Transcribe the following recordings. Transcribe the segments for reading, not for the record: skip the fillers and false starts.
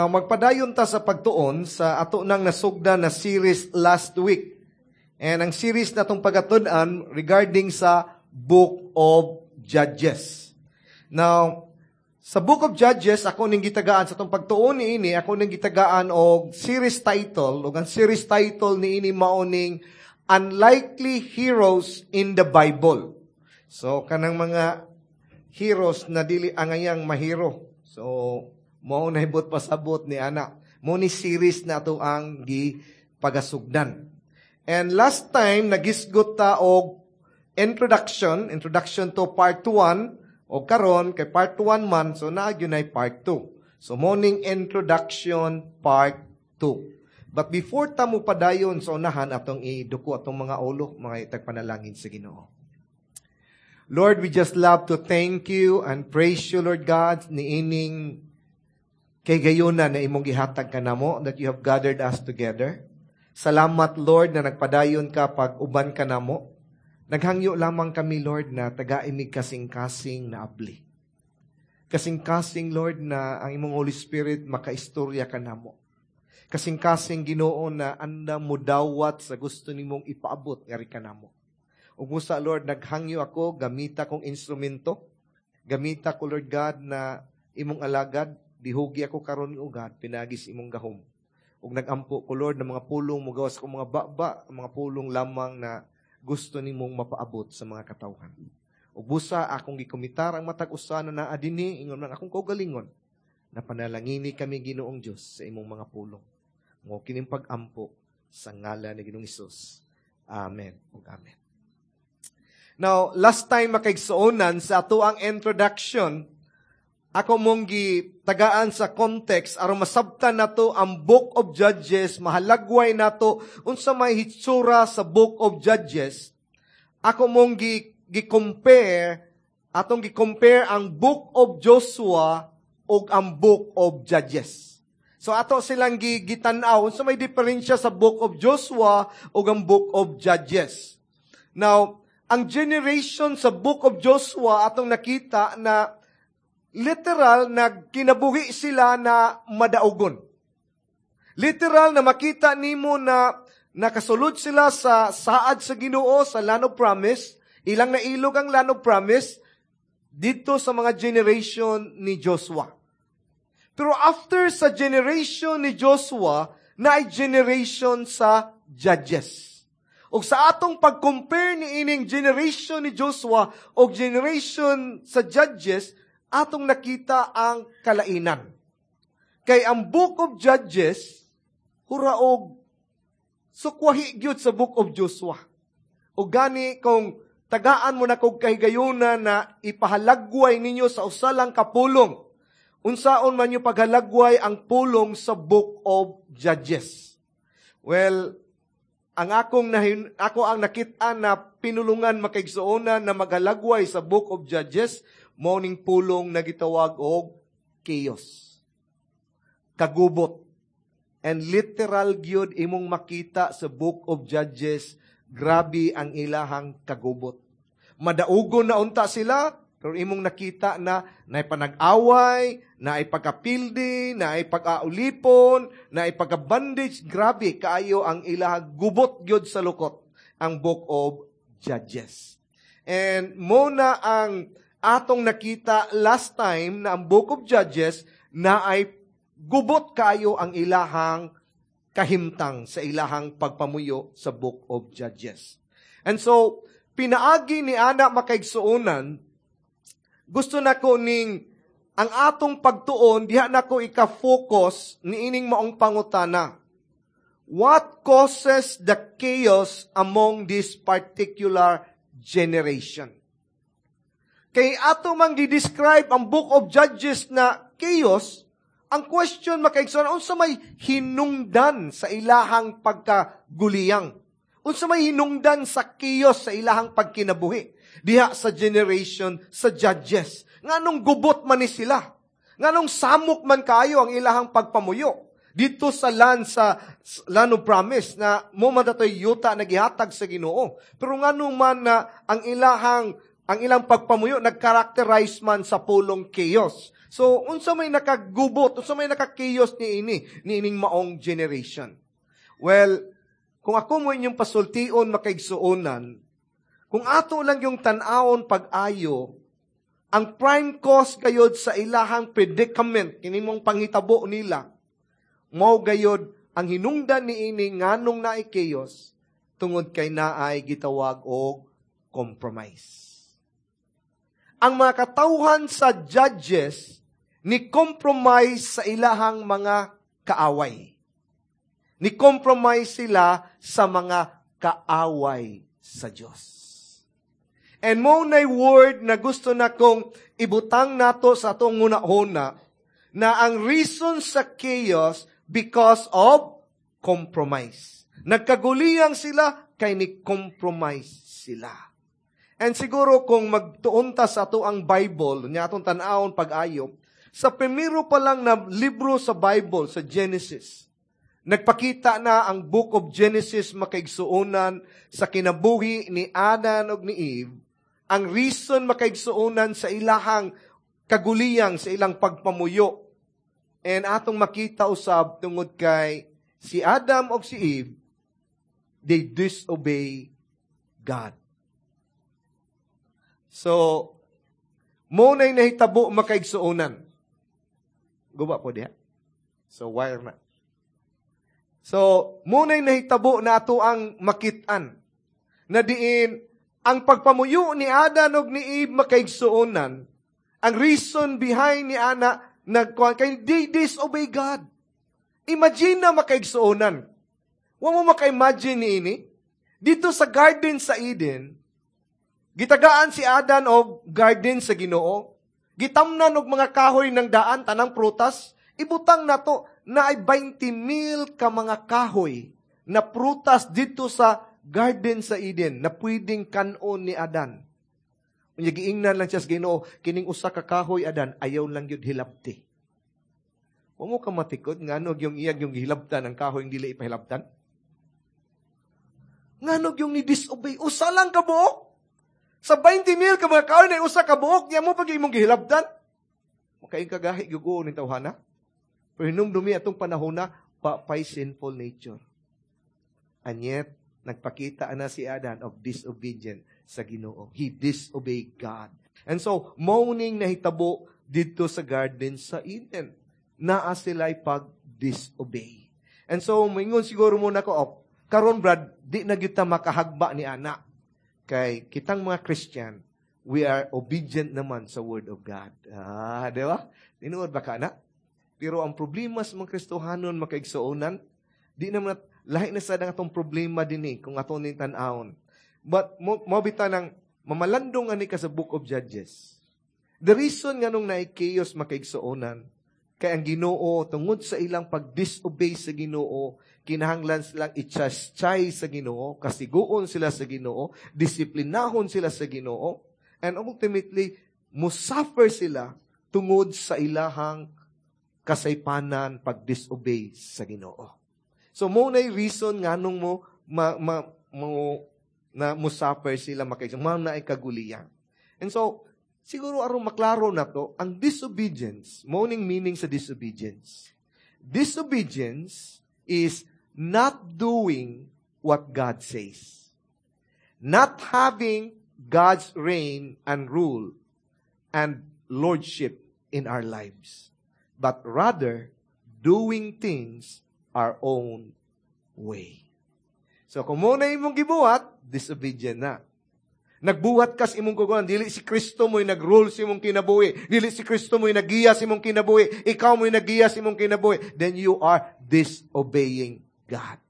Magpadayon ta sa pagtuon sa ato nang nasugdan na series last week. And ang series na itong pagatud-an regarding sa Book of Judges. Now, sa Book of Judges, ako ning gitagaan sa atong pagtuon niini, ako ning gitagaan og series title, ug ang series title niini mao ning Unlikely Heroes in the Bible. So kanang mga heroes na dili angayang mahero. So mao na hibot pasabot ni ana. Mao ni series na ato ang gipagasugdan. And last time nagisgot ta og introduction to part 1, o karon kay part 1 man, so naa gyud nay part 2. So mao ning introduction part 2. But before ta mo padayon sa unahan, atong iduko atong mga ulo, mga itagpanalangin sa Ginoo. Lord, we just love to thank you and praise you, Lord God, niining kahigayuna na imong gihatag kanamo, that you have gathered us together. Salamat, Lord, na nagpadayon ka pag uban ka namo. Naghangyo lamang kami, Lord, na tagai mig kasing-kasing na abli. Kasing-kasing, Lord, na ang imong Holy Spirit makaistorya kanamo. Kasing-kasing, Ginoo, na andam mo dawat sa gusto nimong ipaabot ngari kanamo. Ug busa, Lord, naghangyo ako, gamita kong instrumento. Gamita ko, Lord God, na imong alagad. Dihugi ako karon, O God, pinaagi sa imong gahom. Ug nagampo ko, Lord, ng mga pulong mo gawas akong mga baba, ang mga pulong lamang na gusto nimong mapaabot sa mga katawhan. Ug busa akong gikomitar ang matag usa na naa dinhi, ingon man akong kaugalingon, na panalangini kami, Ginoong Dios, sa imong mga pulong. Mao kining pag-ampo sa ngalan ni Ginoong Hesus. Amen ug amen. Now, last time, makaigsuonan, sa ato ang introduction, ako mong gitagaan sa context aron masabtan nato ang Book of Judges, mahalagway nato unsa may hitsura sa Book of Judges. Ako mong gi-compare, atong gi-compare ang Book of Joshua ug ang Book of Judges. So ato silang gitan-aw unsa may diferensya sa Book of Joshua ug ang Book of Judges. Now, ang generation sa Book of Joshua, atong nakita na literal nagkinabuhi sila na madaugon. Literal na makita nimo na nakasulod sila sa saad sa Ginoo, sa Land of Promise, ilang nailog ang Land of Promise dito sa mga generation ni Joshua. Pero after sa generation ni Joshua, na ay generation sa Judges. Og sa atong pag-compare ni ining generation ni Joshua o generation sa Judges, atong nakita ang kalainan. Kay ang Book of Judges, huraog, sukwahi gyud sa Book of Joshua. O gani, kung tagaan mo na kog kahigayuna na ipahalagway ninyo sa usa lang ka pulong, unsaon man yung paghalagway ang pulong sa Book of Judges? Well, ang akong nahin, ako ang nakit-an na pinulungan, makaigsuonan, na maghalagway sa Book of Judges, mao ning pulong na gitawag og chaos. Kagubot. And literal gyud imong makita sa Book of Judges, grabe ang ilahang kagubot. Madaugon na unta sila, pero imong nakita na naay panag-away, naay pagkapildi, naay pag-aulipon, naay pagka-bondage. Grabe kaayo ang ilahang gubot gyud sa lukot ang Book of Judges. And mao na ang atong nakita last time na ang Book of Judges na ay gubot kaayo ang ilahang kahimtang sa ilahang pagpamuyo sa Book of Judges. And so, pinaagi ni ana, makaigsuonan, gusto nako ning ang atong pagtuon, diha nako ika-focus niining maong pangutana. What causes the chaos among this particular generation? Kay ato mang gi-describe ang Book of Judges na chaos, ang question, makaigsoon, unsa may hinungdan sa ilahang pagkaguliyang? Unsa may hinungdan sa chaos sa ilahang pagkinabuhi diha sa generation sa Judges? Nganong gubot man ni sila? Nganong samok man kayo ang ilahang pagpamuyo dito sa land of promise na mao man datoy yuta na gihatag sa Ginoo? Pero nganong man na ang ilahang Ang ilang pagpamuyo nagkarakterize man sa pulong chaos. So, unsa may nakagubot, unsa may naka-chaos ni ining maong generation? Well, kung ako mo inyong pasultion, makaigsuonan, kung ato lang yung tan-awon pag-ayo, ang prime cause gayod sa ilahang predicament, kini mong panghitabo nila, mao gayod ang hinungdan ni ini nganong naay chaos, tungod kay naay gitawag og compromise. Ang mga katawhan sa Judges ni compromise sa ilahang mga kaaway. Ni compromise sila sa mga kaaway sa Dios. And mao nay word na gusto na kong ibutang nato sa atong hunahuna na ang reason sa chaos because of compromise. Nagkaguliyang sila kay ni compromise sila. And siguro kung magtuon ta sa ato ang Bible, nya atong tan-awon pag-ayo, sa primero pa lang na libro sa Bible, sa Genesis, nagpakita na ang Book of Genesis, makaigsuonan, sa kinabuhi ni Adam ug ni Eve, ang reason, makaigsuonan, sa ilahang kaguliyang sa ilang pagpamuyo. And atong makita usab tungod kay si Adam ug si Eve, they disobey God. So, mao na'y nahitabo, makaigsuonan. Guba po diha. So, wire na. So, mao na'y nahitabo na ato ang makitaan na diin ang pagpamuyo ni Adam ug ni Eve, makaigsuonan, ang reason behind ni ana nagkuan kay they disobey God. Imagine na, makaigsuonan. Wa mo maka-imagine ni ini? Dito sa garden sa Eden, gitagaan si Adan og garden sa Ginoo. Gitamnan og mga kahoy ng daan, tanang prutas. Ibutang nato na ay 20 mil ka mga kahoy na prutas dito sa garden sa Eden na pwedeng kanon ni Adan. Unya giingnan lang siya sa Ginoo, "Kining usa ka kahoy, Adan, ayaw lang gyud hilabti." Wa mo ka matikod ngano yung iyang yung gihilabtan ang kahoy dili ipahilabtan? Ngano yung ni disobey? Usa lang ka buok. Sa 20 mil ka mga kahoy na usa ka buok, niya mo pag imong gihilabtan. Makaing kagahi gyud ni tawhana. Pero hinumdumi atong panahon na pa pay sinful nature. And yet, nagpakita na si Adan of disobedience sa Ginoo. He disobeyed God. And so, mao ning nahitabo dito sa garden sa Eden. Naa sila'y pag-disobey. And so, mingon siguro muna ko, "Oh, karon Brad, di na gyud ta makahagba ni ana. Kay kitang mga Christian, we are obedient naman sa Word of God." Ah, di ba? Tinuod ba ka na? Pero ang problema sa mga Kristohanon, makaigsuonan, di naman lahi na sa atong problema din eh, kung ato ning tan-awon. But mo bita ng mamalandong ani ka sa Book of Judges. The reason nga nung naay chaos, makaigsuonan, kay ang Ginoo, tungod sa ilang pag-disobey sa Ginoo, kinahanglan silang i-chastise sa Ginoo, kasiguon sila sa Ginoo, disiplinahon sila sa Ginoo, and ultimately musuffer sila tungod sa ilahang kasaypanan pag-disobey sa Ginoo. So mao na reason nganong mo ma, ma, mo na musuffer sila, makaigsuonan, mao na ay kaguliyan. And so siguro aron maklaro na to, ang disobedience, mao ning meaning sa disobedience. Disobedience is not doing what God says. Not having God's reign and rule and lordship in our lives, but rather doing things our own way. So kung mao na imong gibuhat, disobedient na. Nagbuhat kas imong kuguan, dili si Kristo mo'y nag-rule sa imong kinabuhi, dili si Kristo mo'y nagiya sa imong kinabuhi, ikaw mo'y nagiya sa imong kinabuhi, then you are disobeying God.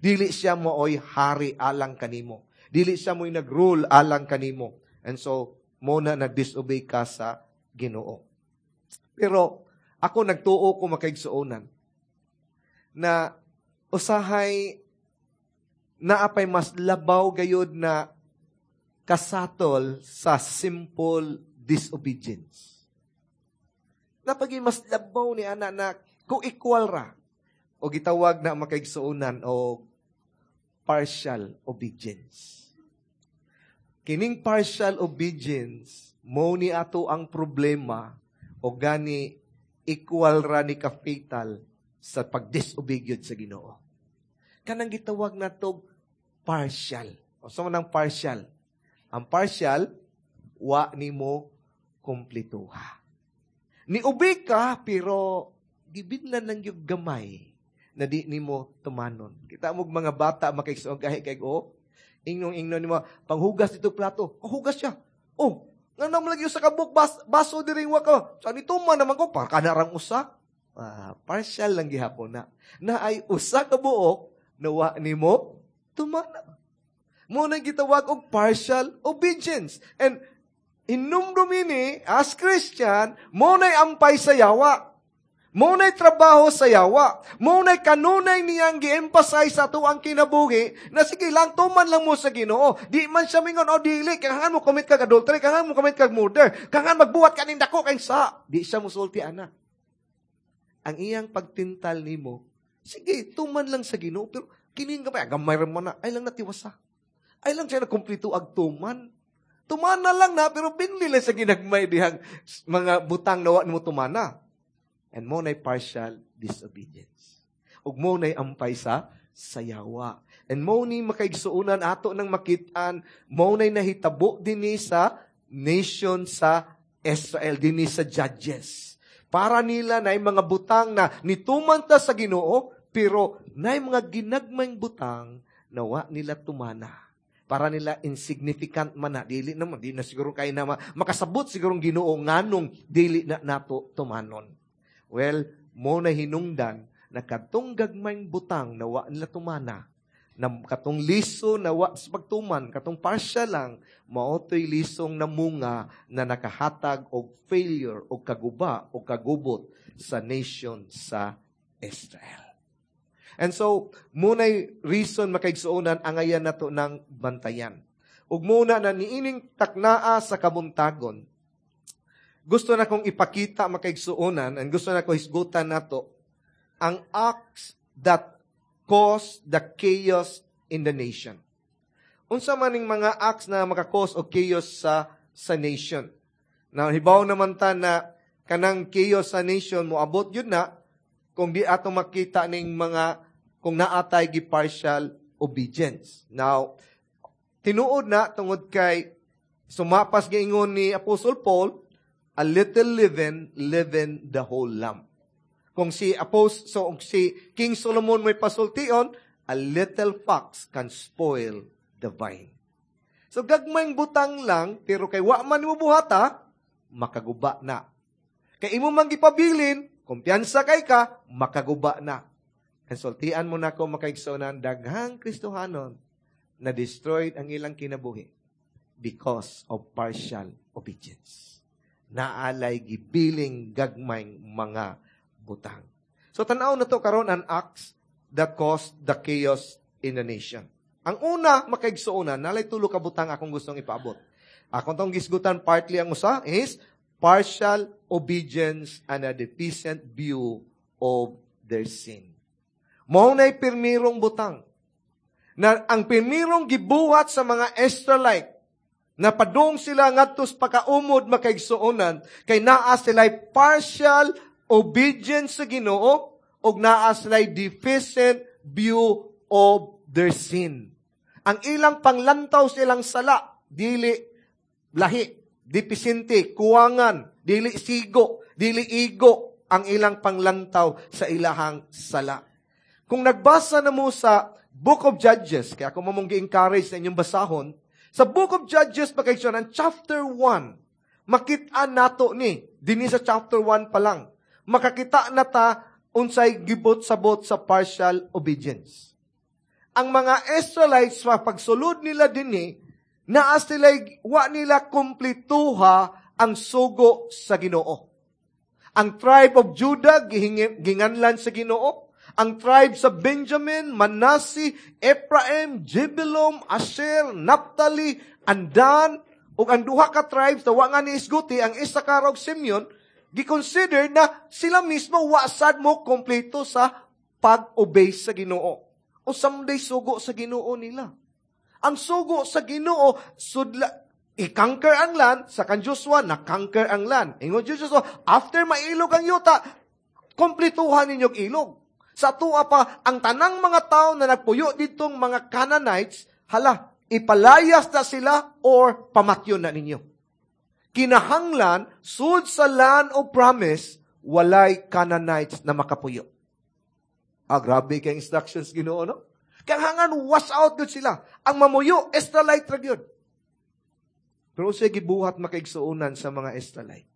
Dili siya mooy hari alang kanimo. Dili siya mo'y nag-rule alang kanimo. And so, mao na nag-disobey ka sa Ginoo. Pero, ako nagtuo ko, makaigsuonan, na usahay naapay mas labaw gayod na kasatol sa simple disobedience. Napagi mas labaw ni ana na kung equal ra o gitawag na, makaigsuonan, o partial obedience. Kining partial obedience, mo ni ato ang problema o gani equal ra ni ka-fatal sa pag-disobey sa Ginoo. Kanang gitawag nato partial. O sa man ang partial? Ang partial, wa nimo kumplituha. Ni-obey ka, pero gibinlan lang yung gamay na di nimo tumanon. Kita mo mga bata makaigsoon gahi kay o ingnon ingnon nimo panghugas dito plato. Oh, hugas siya. Oh, nga naman lagi sa kabuk baso diri wa ka. Sa nito man naman ko para kanarang usa. Partial lang gihapon na. Na ay usa ka buok na wa nimo tumana. Mo nang gitawag og partial obedience. And hinumdum ini as Christian, mo na'y ampay sa yawa. Mo na'y trabaho sa yawa. Mo na'y kanunay niyang gi-emphasize sa ato ang kinabuhi na sige lang, tuman lang mo sa Ginoo. Di man siya mingon, oh dili, kangan mo commit kag adultery, kangan mo commit kag murder, kangan magbuhat ka ning dako kay sa. Di siya musulti ana. Ang iyang pagtintal nimo, sige, tuman lang sa Ginoo, pero kining gamay, gamay ra man na, ay lang natiwasa. Ay lang siya nakumplito ag tuman. Tumana lang na, pero binli lang sa ginagmay dihang mga butang nawa nimo tumana. And mo na'y partial disobedience. Ug mo na'y ampay sa sayawa. And mo ni makaigsuonan ato ng makitaan, mo na'y nahitabo dinhi sa nation sa Israel, dinhi sa Judges. Para nila na'y mga butang na nituman ta sa Ginoo, pero na'y mga ginagmayng butang na wa nila tumana. Para nila insignificant man na. Dili naman, di na siguro kay na makasabot siguro Ginoo nganong dili na nato tumanon. Well, mo na hinungdan na katong gagmayng butang na wa nila tumana, na katong liso na wa sa pagtuman, katong partial lang, maotoy lisong namunga na nakahatag og failure o kaguba o kagubot sa nation sa Israel. And so, muna'y reason makaigsuonan angayan nato ng bantayan. Ug muna na niining taknaa sa kabuntagon, gusto na kong ipakita makaigsuonan, and gusto na ko hisgutan nato, ang acts that cause the chaos in the nation. Unsa man ning mga acts na maka-cause og chaos sa nation? Now, hibaw naman ta na kanang chaos sa nation moabot yun na kung di ato makita ning mga kung naatay gi partial obedience. Now, tinuod na tungod kay sumapas giingon ni Apostle Paul, a little leaven leaven the whole lump. Kung si Apostle, so si King Solomon may pasultion, a little fox can spoil the vine. So gagmayng butang lang, pero kay wa man mo buhata, makaguba na. Kay imo man gipabilin, kumpiyansa kay ka, makaguba na. Konsultian mo na ko makaigsonan, daghang Kristohanon na destroyed ang ilang kinabuhi because of partial obedience. Naalay gibiling gagmayng mga butang. So tanaw na to karon ang acts that caused the chaos in the nation. Ang una, makaigsuonan, nalay tulo ka butang akong gustong ipaabot. Akong tong gisgutan partly ang usa is partial obedience and a deficient view of their sin. Mao na'y pirmirong butang. Na ang pirmirong gibuhat sa mga Israelite, na padung sila ngadto sa pakaumod makaigsuonan, kay naa sila'y partial obedience sa Ginoo ug naa sila'y deficient view of their sin. Ang ilang panglantaw sa ilang sala, dili lahi, deficiente, kuwangan, dili sigo, dili igo ang ilang panglantaw sa ilahang sala. Kung nagbasa na mo sa Book of Judges, kaya ako mamong gi-encourage sa inyong basahon, sa Book of Judges, makaigsoon, ang chapter 1, makita nato ni, dinhi sa chapter 1 pa lang, makakita na ta unsay gibot-sabot sa partial obedience. Ang mga Israelites, sa pagsulod nila dinhi, naa sila'y wa nila kumplituha ang sugo sa Ginoo. Ang tribe of Judah, ginganlan sa Ginoo. Ang tribe sa Benjamin, Manasseh, Ephraim, Jebulun, Asher, Naphtali, and Dan, ug ang duha ka tribes na wa nga ni isguti, ang Issachar ug Simeon, giconsider na sila mismo wa sad mo kompleto sa pag-obey sa Ginoo. O someday sugo sa Ginoo nila. Ang sugo sa Ginoo, sudla, i-conquer ang land, sa kan Joshua, na-conquer ang land. Ingon Joshua, after mailog ang yuta, komplituhan ninyong ilog. Sa tuwa pa, ang tanang mga tao na nagpuyo ditong mga Canaanites, hala, ipalayas na sila or pamatyon na ninyo. Kinahanglan, sud sa land of promise, walay Canaanites na makapuyo. Ah, grabe kay instructions Ginoo, no? Kaya wash out gyud sila. Ang mamuyo, Israelite ra gyud. Pero unsay gibuhat, makaigsuonan, sa mga Israelite?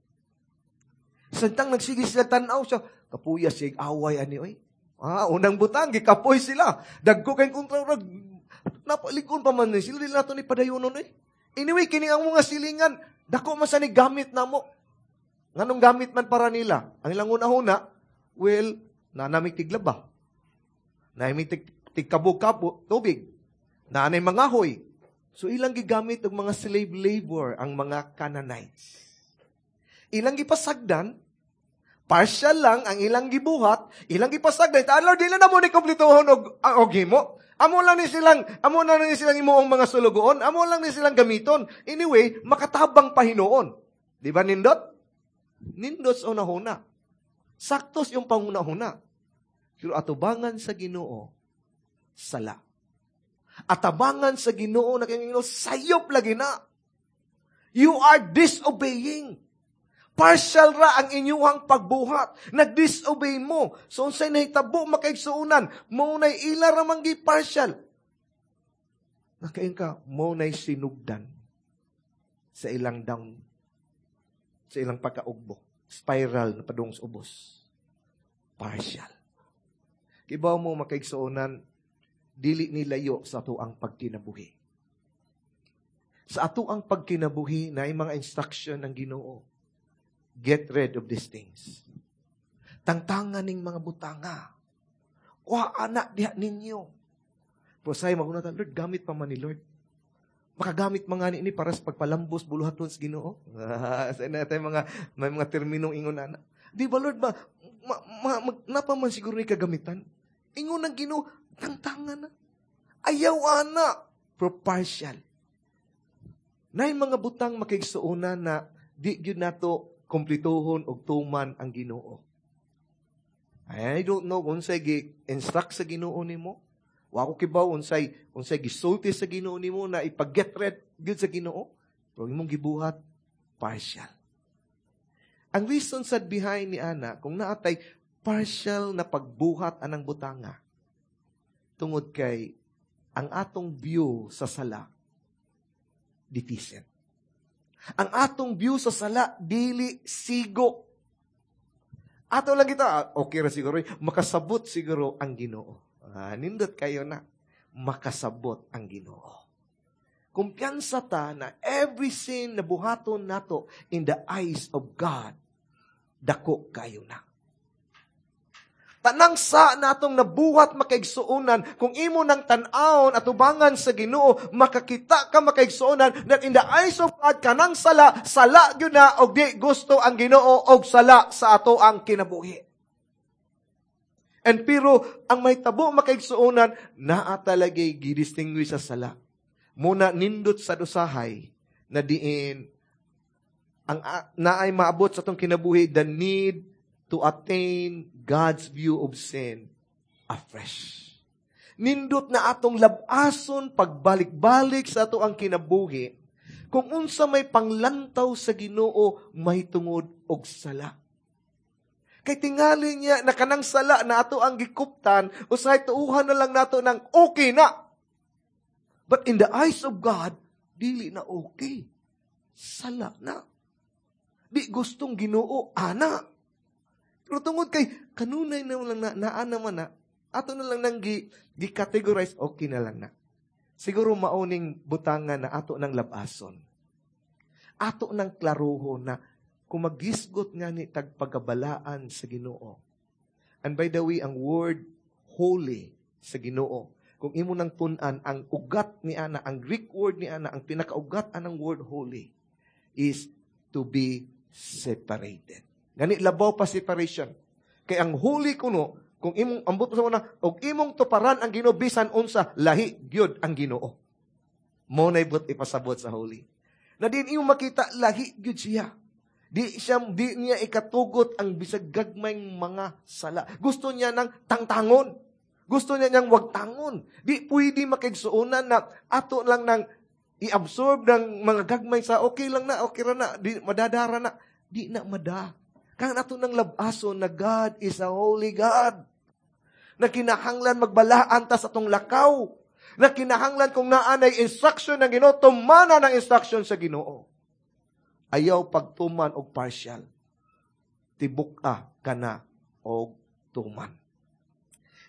Samtang nagsige sila tan-aw siya, kapuya siya away ani oy. Ah, unang butang gikapoy sila. Dagko kay kontra, napalikon pa man ni sila, dili nato ni padayonon oy. Anyway, kini ang mga silingan, dako man sa ni gamit namo. Nganong gamit man para nila? Ang ilang una-una, well, nanamig tiglaba. Nanamig tigkabog-kabo, tubig. Naanay mga hoy. So ilang gigamit og mga slave labor ang mga Canaanites. Ilang gipasagdan, partial lang ang ilang gibuhat, ilang gipasagdan. Taan Lord, dili na mo ni kompletohon og himo. Amo lang ni silang imuong mga sulugoon, amo lang ni silang gamiton. Anyway, makatabang pa hinuon. Di ba nindot? Nindot sa unahuna. Saktos yung panguna-huna. Pero atubangan sa Ginoo, sala. Atabangan sa Ginoo na kay Ginoo, sayop lagi na. You are disobeying. Partial ra ang inyuhang pagbuhat. Nag-disobey mo. So, unsay nahitabo, makaigsuonan, mao nay ila ra man gi partial. Nakain ka, mao nay sinugdan sa ilang down, sa ilang pagkaugbo. Spiral na padung sa ubos. Partial. Kibaw mo, makaigsuonan, dili nilayo sa ato ang pagkinabuhi. Sa ato ang pagkinabuhi na mga instruction ng Ginoo. Get rid of these things. Tangtangan ning mga butanga. Kuha anak diha ninyo. Pero say maguna, "Lord, gamit pa man ni Lord. Makagamit mga ni para sa pagpalambos buluhaton sa Ginoo." Sa na tayo mga may mga terminong ingon ana. Di ba, Lord, napa man siguro ni kagamitan? Ingon ng Ginoo, tangtangan na. Ayaw ana, pero partial. Nay mga butang, makigsuonan, na di gyud nato komplituhon og tuman ang Ginoo. I don't know kung unsay gi-instruct sa Ginoo nimo. Wa ko kibaw unsay gisulti sa Ginoo nimo na ipag-get rid gyud sa Ginoo. Pero imong gibuhat, partial. Ang reason sad behind ni ana kung naatay partial na pagbuhat anang butanga, tungod kay ang atong view sa sala deficient. Ang atong view sa sala dili sigo. Ato lang kita, ah, okay ra siguro, makasabot siguro ang Ginoo. Ah, nindot kayo na. Makasabot ang Ginoo. Kumpiyansa ta na every sin na buhaton nato in the eyes of God, dako kayo na. Tanang sa natong nabuhat, makaigsuonan, kung imo nang tan-awon atubangan sa Ginoo, makakita ka, makaigsuonan, that in the eyes of God, kanang sala, sala gyud na og di gusto ang Ginoo og sala sa ato ang kinabuhi. And pero ang may tabo, makaigsuonan, naa talagay gidistinguish sa sala. Muna nindot sa usahay na diin ang naay maabot sa atong kinabuhi, the need to attain God's view of sin afresh. Nindot na atong labason pagbalik-balik sa ato ang kinabuhi kung unsa may panglantaw sa Ginoo may tungod og sala. Kay tingali niya na kanang sala na ato ang gikuptan, usahay tuuhan na lang nato ng okay na. But in the eyes of God, dili na okay. Sala na. Di gustong Ginoo, ana. Pero tungod kay kanunay na lang na, naa naman na, ato na lang nang gi-categorize, okay na lang na. Siguro mauning butangan na ato ng labason. Ato ng klaruho na kung magisgot nga ni tagpagabalaan sa Ginoo. And by the way, ang word holy sa Ginoo, kung imo nang tun-an, ang ugat ni ana, ang Greek word ni ana, ang pinakaugat anang word holy is to be separated. Gani labaw pa separation. Kay ang holy kuno, kung imong ambot sa una, og imong tuparan ang Ginoo bisan unsa, lahi gyud ang Ginoo. Mo na ibot ipasabot sa Holy. Na din imo makita, lahi gyud siya. Di niya ikatugot ang bisag gagmayng mga sala. Gusto niya ng tangtangon. Gusto niya niyang wagtangon. Di pwede makigsuonan na ato lang nang i-absorb ng mga gagmay sa okay lang na, okay ra na, di, madadara na. Di na mada. Kang ato nang labaso na God is a holy God. Na kinahanglan magbalaan ta sa atong lakaw. Na kinahanglan kung naa nay instruction ng Ginoo, tumana ng instruction sa Ginoo. Ayaw pagtuman og partial. Tibuk-a kana og tuman.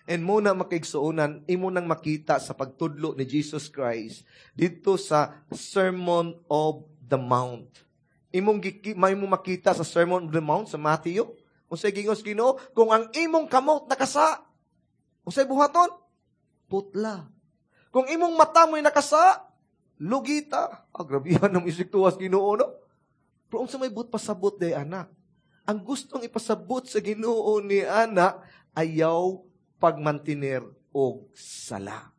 And muna makigsuonan, imo nang makita sa pagtudlo ni Jesus Christ dito sa Sermon of the Mount. Imong may mo makita sa Sermon of the Mount sa Matthew. Unsay gingos Ginoo, kung ang imong kamot nakasa, unsay buhaton? Putla. Kung imong mata mo'y nakasa, lugita. Ah, grabihan ng isiktuwas Ginoo, no? Pero unsa may but pasabot day anak? Ang gustong ipasabot sa Ginoo ni anak, ayaw pagmantiner og sala.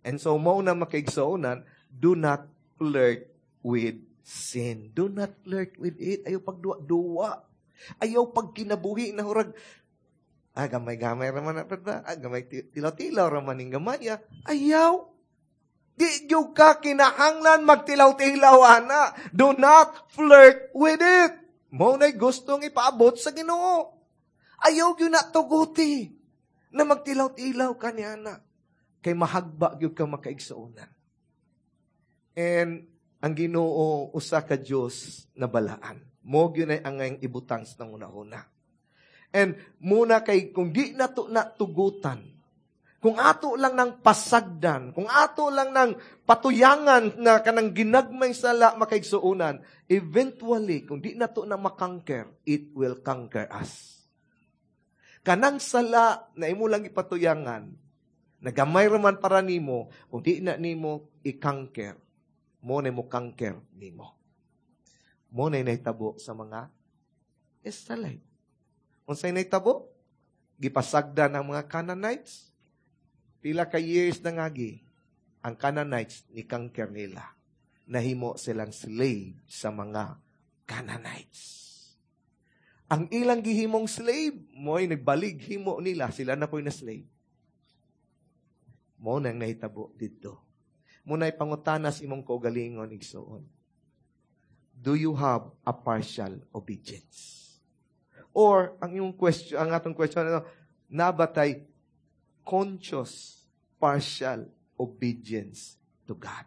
And so, mao na makaigsuonan, do not flirt with sin. Do not flirt with it. Ayaw pagduwa-duwa. Ayaw pagkinabuhi na hurag, gamay-gamay raman na, ba? Gamay, tilaw-tilaw raman ning gamay. Ayaw. Di gyud ka kinahanglan magtilaw-tilaw, ana. Do not flirt with it. Mao na'y gustong ipaabot sa Ginoo. Ayaw gyud na tuguti na magtilaw-tilaw ka ni ana. Kay mahagba gyud ka makaigsuonan. And ang Ginoo usa ka Dios na balaan. Mo gyud ay angay ibutang sa una-una. And muna kay kung di nato na tugutan, kung ato lang ng pasagdan, kung ato lang ng patuyangan na kanang ginagmay sala makaigsuonan, eventually, kung di nato na makanker, it will conquer us. Kanang sala na imo lang ipatuyangan, nagamay raman para nimo, kung di na nimo i-conquer, mo na mo conquer nimo. Mo na nahitabo sa mga Israelite. Unsay nahitabo? Gipasagdan ang mga Canaanites. Pila ka years na ngagi, ang Canaanites ni conquer nila. Nahimo silang slave sa mga Canaanites. Ang ilang gihimong slave, mo'y nagbalig himo nila, sila na po'y na slave. Mo nang nahitabo dito. Muna'y pangutanas imong kaugalingon igsoon. Do you have a partial obedience? Or, ang imong question, ang atong question, ano, nabatay conscious partial obedience to God?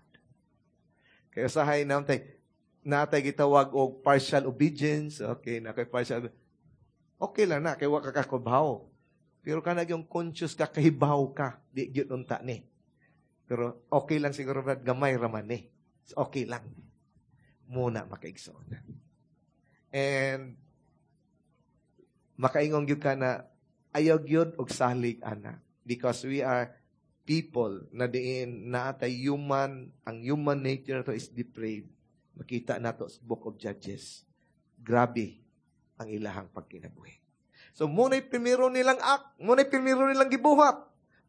Kaya sahay natay gitawag og partial obedience, okay, na kay partial, okay lang na, kay wa ka kakubaw. Pero kanag yung conscious ka, kahibaw ka, di gyud unta ni. Pero okay lang siguro, Brad, gamay raman ni. So, okay lang. Muna makaigsoon. And makaingon gyud ka na ayaw gyud og salig ana, because we are people na diin naatay human, ang human nature nato is depraved. Makita nato sa Book of Judges. Grabe ang ilahang pagkinabuhi. So, muna'y primero nilang act, muna'y primero nilang gibuhat.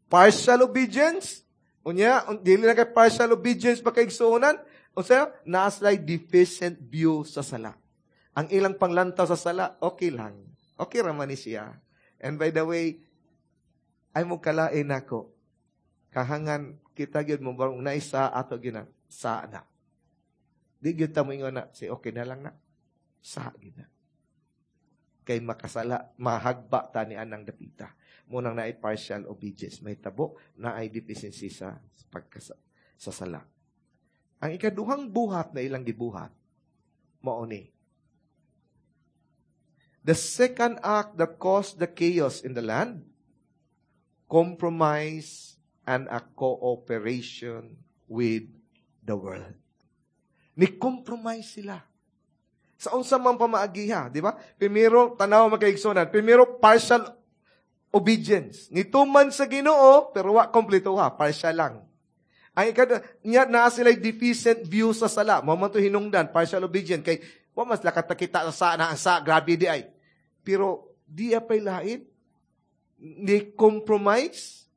Partial obedience. Unya, dili na kay partial obedience pa kaigsuonan. Unsa, naa sila'y deficient view sa sala. Ang ilang panglantaw sa sala, okay lang. Okay ra man ni siya. And by the way, ay mo kalain nako. Kahangan kita gyud mo barong naisa ato gyud na sa na. Di gyud ta mo ingon na si okay na lang na. Sa gyud na. Kay makasala, mahagba ta ni anang dapita. Munang naay partial obedience, may tabo, naay deficiency sa pagkasa sa sala. Ang ikaduhang buhat na ilang gibuhat, mao ni. The second act that caused the chaos in the land, compromise and a cooperation with the world. Ni-compromise sila. Sa unsa man pamaagiha, di ba? Primero, tanaw makaigsunan. Primero, partial obedience. Nituman sa Ginoo, pero wa kompleto ha, partial lang. Ang ikad niya naa sila deficient view sa sala. Mao man to hinungdan, partial obedience kay wa mas lakat kita sa na ang sa grabe di ay. Pero di apay lain, ni compromise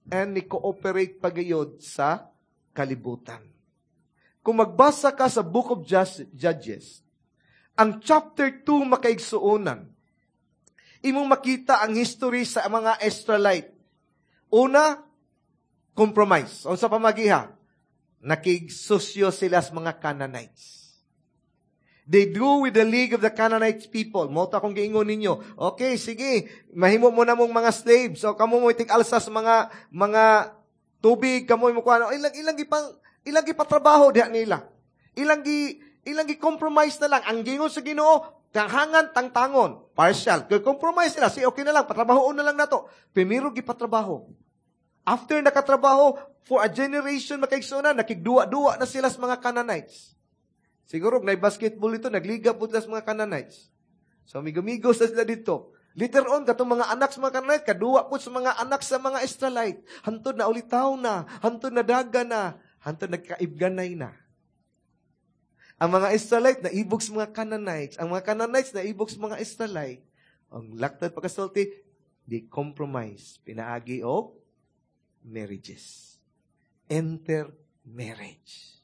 and ni cooperate pagayod sa kalibutan. Kung magbasa ka sa Book of Judges, ang chapter 2, makaigsuonan, imong makita ang history sa mga Israelite. Una, compromise. Unsa pamagiha? Nakigsusyo sila sa mga Canaanites. They do with the league of the Canaanites people. Mao to akong giingon ninyo. Okay, sige. Mahimo mo na mong mga slaves. So, kamo mo itig alsa sa mga tubig, kamo mo kuha. Ilang gipatrabaho diha nila. Ilang gi compromise na lang. Ang gingon sa Ginoo, kahangan tangtangon. Partial. Kaya compromise sila. Si okay na lang, patrabahoon na lang nato. Primero gipatrabaho. After nakatrabaho, for a generation, makaigsuonan, nakigduwa-duwa na sila sa mga Canaanites. Siguro, na basketball ito, nagliga po sila sa mga Canaanites. So, amigo-amigos na sila dito. Later on, katong mga anak sa mga Canaanite, kaduwa po sa mga anak sa mga Israelite. Hantod na ulitaw na, hantod na daga na, hantod nagkaibganay na. Ang mga Israelite na ibog sa mga Canaanites. Ang mga Canaanites na ibog sa mga Israelite. Ang laktad pagkasulti, they compromise. Pinaagi og marriages. Intermarriage.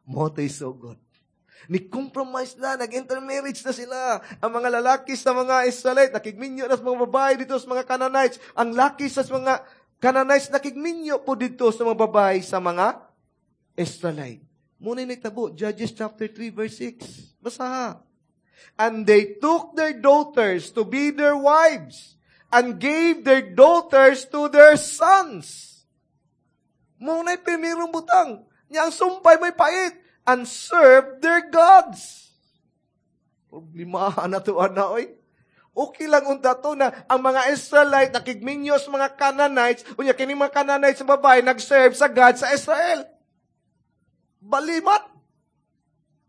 Mao to'y sugod. Ni compromise na, nag-intermarriage na sila. Ang mga lalaki sa mga Israelite, nakigminyo na sa mga babae dito sa mga Canaanites. Ang laki sa mga Canaanites, nakigminyo po dito sa mga babae sa mga Israelite. Mao na'y nahitabo, Judges chapter 3 verse 6. Basa. "And they took their daughters to be their wives and gave their daughters to their sons." Mao na'y primerong butang. Nya ang sumpay may pait. "And serve their gods." Problema na to, ana, oy. Okay lang unta to na ang mga Israelite nakigminyo sa mga Canaanites, unya kini mga Canaanites sa babae nag-serve sa God sa Israel. Balimat.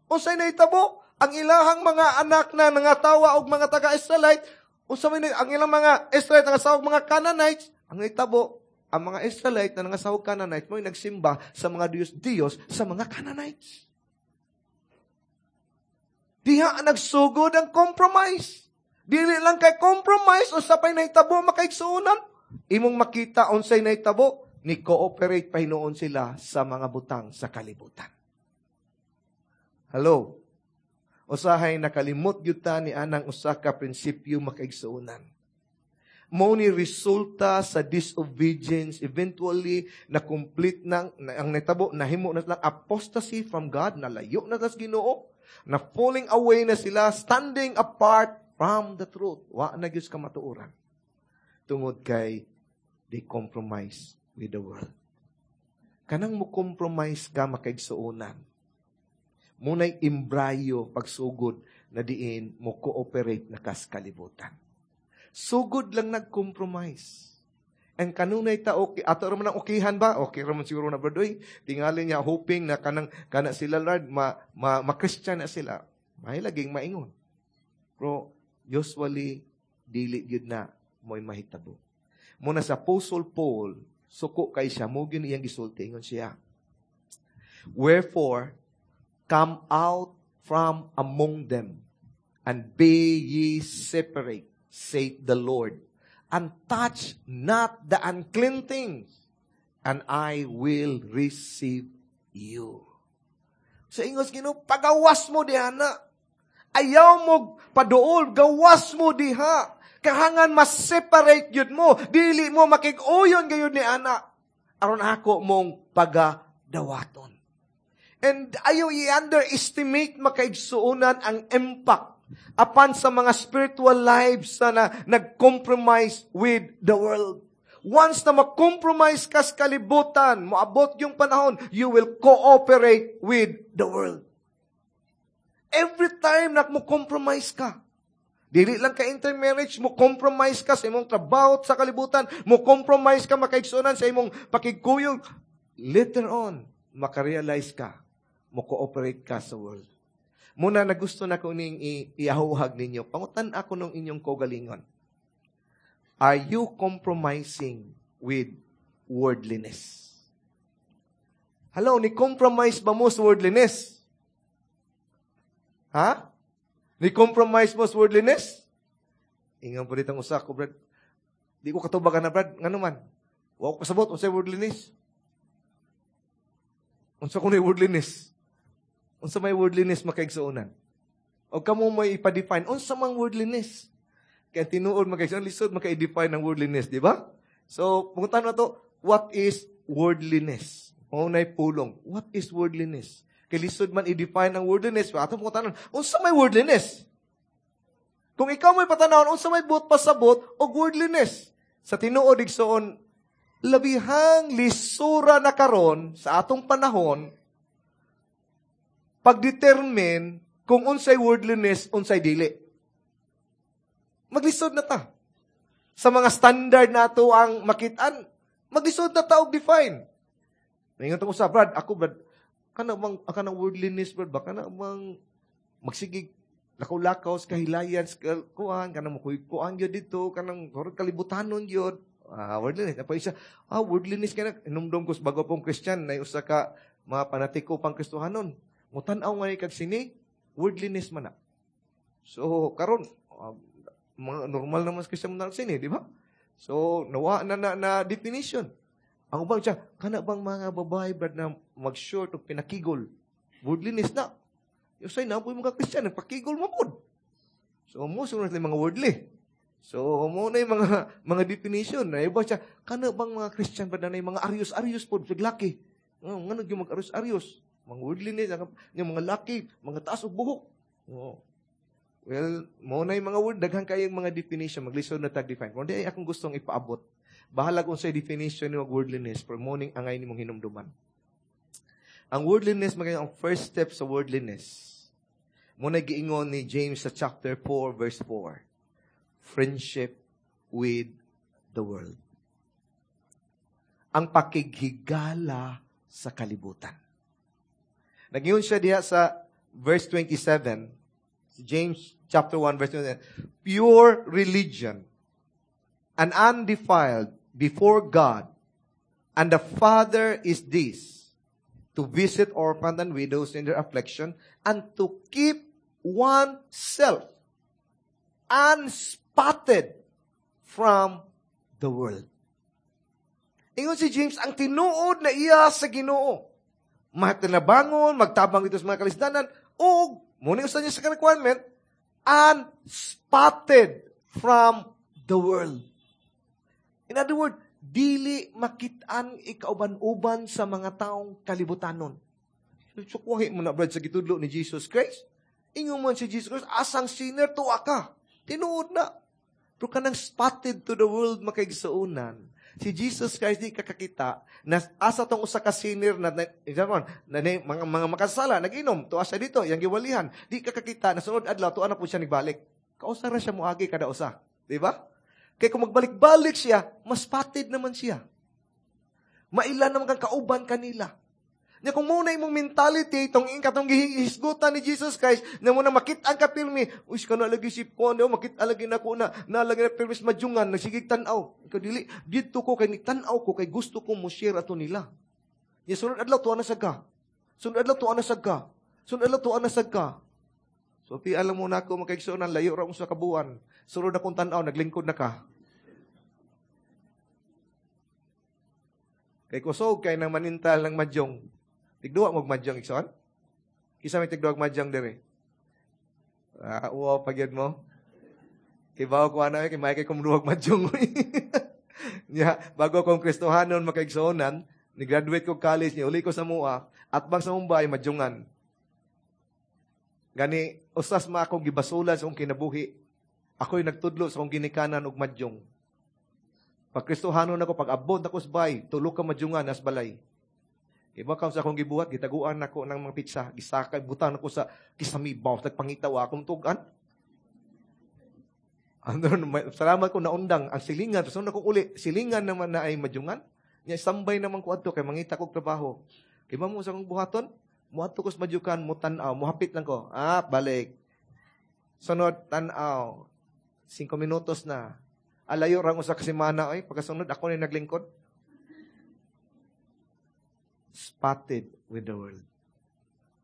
Unsay nahitabo? Ang ilahang mga anak na nangatawa og mga taga-Israelite, unsa may ang ilang mga Israelite nangasawa og mga Canaanites, ang nahitabo, ang mga Israelite na nangasawa og Canaanites mo'y nagsimba sa mga Diyos-Diyos sa mga Canaanites. Diha nagsugod ang compromise. Dili lang kay compromise, unsa pay nahitabo, makaigsuonan? Imong makita unsay nahitabo, ni cooperate pa hinuon sila sa mga butang sa kalibutan. Hello? Usahay nakalimot gyud ta ni anang usa ka prinsipyo, makaigsuonan. Mo ni resulta sa disobedience, eventually na complete na, ang nahitabo, nahimo na lang apostasy from God, nalayo na tas Ginoo, na falling away na sila, standing apart from the truth. Wa na gyud kamatuoran. Tungod kay they compromise with the world. Kanang mo compromise ka, makaigsuonan, muna'y embryo pagsugod na diin mo cooperate na kas kalibutan. Sugod lang nag-compromise. Ang kanunay ta okay, ato ra man ang okihan ba? Okay ra man siguro na, brad. Tingali niya hoping na kanang kana sila, Lord, ma, ma, ma-Christian na sila. May laging maingon. Pero usually dili gyud na mo'y mahitabo. Muna sa Apostle Paul, suko kay siya, mo gyud iyang gisulti, ingon siya, "Wherefore, come out from among them, and be ye separate, saith the Lord, and touch not the unclean things, and I will receive you." Sa ingos Ginoo, pagawas mo diha na. Ayaw mo paduol, gawas mo diha. Kahangan mas separate yun mo. Dili mo makig-uyon gayud ni ana. Aron ako mong pagadawaton. And ayaw i-underestimate, makaigsuonan, ang impact apan sa mga spiritual lives na nag-compromise with the world. Once na mag-compromise ka sa kalibutan, moabot yung panahon, you will cooperate with the world. Every time na mo compromise ka, dili lang ka intermarriage, mo compromise ka sa imong trabaho sa kalibutan, mo compromise ka, makaigsuonan, sa imong pakigkuyog, later on, makarealize ka, mo cooperate ka sa world. Muna na gusto na ko ning iahuhag ninyo. Pangutan ako nung inyong kaugalingon. Are you compromising with worldliness? Hello, ni compromise ba mo sa worldliness? Ha? Ni compromise mo sa worldliness? Ingon po ditong usa ko, "Brad. Di ko katubagan na, Brad." Ngano man? Wa ko kasabot unsay worldliness. Unsa ko ni worldliness? Unsa may worldliness, makaigsuonan? O kamo may ipa-define, unsa mang worldliness? Kaya tinuod, makaigsuonan, lisod maka-define ang worldliness, di ba? So, pungutan na to, what is worldliness? Mao nay pulong. What is worldliness? Kay lisod man i-define ang worldliness, atong pangutanon, unsa may worldliness? Kung ikaw may patanawon, unsa may buot pasabot og worldliness? Sa tinuod, igsoon, labihang lisura na karon sa atong panahon pagdetermine kung unsay worldliness, unsay dili. Maglisod na ta. Sa mga standard nato ang makitaan, maglisod na ta og define. Ningon ta sa Brad, ako Brad, kana bang kanang worldliness, Brad, ba kana bang magsigig lakaw-lakaw sa kahilayan sa kuan, kanang kuan gyud dito, kanang kalibutanon gyud. Ah, worldliness. Apo isa, worldliness kana inumdum ko sa bago pong Christian na usa ka mga panatiko pang Kristohanon. Mutan-aw nga kag sini, worldliness man na. So karon mga normal naman sa Christian mo sini, di ba? So nawa na na, na definition. Ang uban siya, kana bang mga babae, Brad, na mag-short o pinakigol, worldliness na. Yung na po mga Christian, nagpakigol mo pod. So mo sunod mga worldly. So mo na yung mga definition. Na iba siya, kana bang mga Christian ba na yung mga arios-arios pod, laki. Ngano yung mga arios-arios? Mga worldliness, yung mga laki, mga taas og buhok. Oh. Well, mo na yung mga word, daghan kayong mga definition, maglisod na tag-define. Kung di ay akong gustong ipaabot, bahala kung sa definition ni worldliness, pero morning angay ni mong hinumduman. Ang worldliness, maging ang first step sa worldliness. Mo na giingon ni James sa chapter 4, verse 4. Friendship with the world. Ang pakighigala sa kalibutan. Nagyun siya diha sa verse 27, James chapter 1, verse 27, pure religion and undefiled before God and the Father is this, to visit orphans and widows in their affliction and to keep oneself unspotted from the world. Ingon si James, ang tinuod na iya sa Ginoo, matinabangon, magtabang dito sa mga kalisdanan, o muna usa niya sa requirement, unspotted from the world. In other words, dili makitaan ikauban-uban sa mga taong kalibutanon. Sukwahi mo na, Brad, sa gitudlo ni Jesus Christ. Ingon man si Jesus Christ, asang sinner, tuwa ka. Tinuod na. Pero kanang spotted to the world makaigsuonan, si Jesus Christ di kakakita na asa tong usa ka sinner na, example, na mga makasala nag-inom, tuwa siya dito, yang giwalihan, di kakakita na sunod adlaw tuwa na po siya nagbalik. Kausa ra siya moagi kada usa, di ba? Kay kung magbalik-balik siya, mas spotted naman siya. Maila naman kang kauban kanila. Nya kung muna imong mentality itong katong gihisgutan ni Jesus Christ na mo na makit-an ka pirmi, uy kana lagi si ko ano makit-an lagi nako na nalagi na pirmi sa madyungan nagsigig tan-aw. Ikaw dili didto ko kay tan-aw ko kay gusto ko mo share ato nila. Nya sunod adlaw tuwa na sad ka. Sunod adlaw tuwa na sad ka. Sunod adlaw tuwa na sad ka. So pi alam mo na ako makaigsuonan layo ra sa kabuan. Sunod akong tan-aw naglingkod na ka. Kay kusog kay nang manintal ng madyong. Tigduwa mo madyong, igsoon? Kisa may tigduwa madyong diri. Ah, uwaw pagyad mo. Kay bawo ko ana kay may kay kumduwag madyong. Nya, bago akong Kristohanon makaigsuonan, ni-graduate ko college, ni uli ko sa Mua, at bang sa Mumbai madyongan. Gani usas ma akong gibasulan sa akong kinabuhi. Ako'y nagtudlo sa akong ginikanan og madyong. Pag Kristohanon ako, pag abot ako sa bay, tulo ka madyungan as balay. Iba ka sa akong gibuhat, gitaguan nako ng mga pizza, gisakay, butan ako sa kisamibaw, nagpangitaw akong tugan. Ano, salamat ko naundang, ang silingan, sunod akong uli, silingan naman na ay madyungan. Nya, sambay naman ko adto kay mangita kog trabaho. Kay mo sa akong buhaton, muadto ko sa madyukan, mutan-aw, muhapit lang ko. Ah, balik. Sunod, tan-aw. 5 minutos na. Alayo rang usa ka semana ay pagkasunod ako ni naglingkod. Spotted with the world.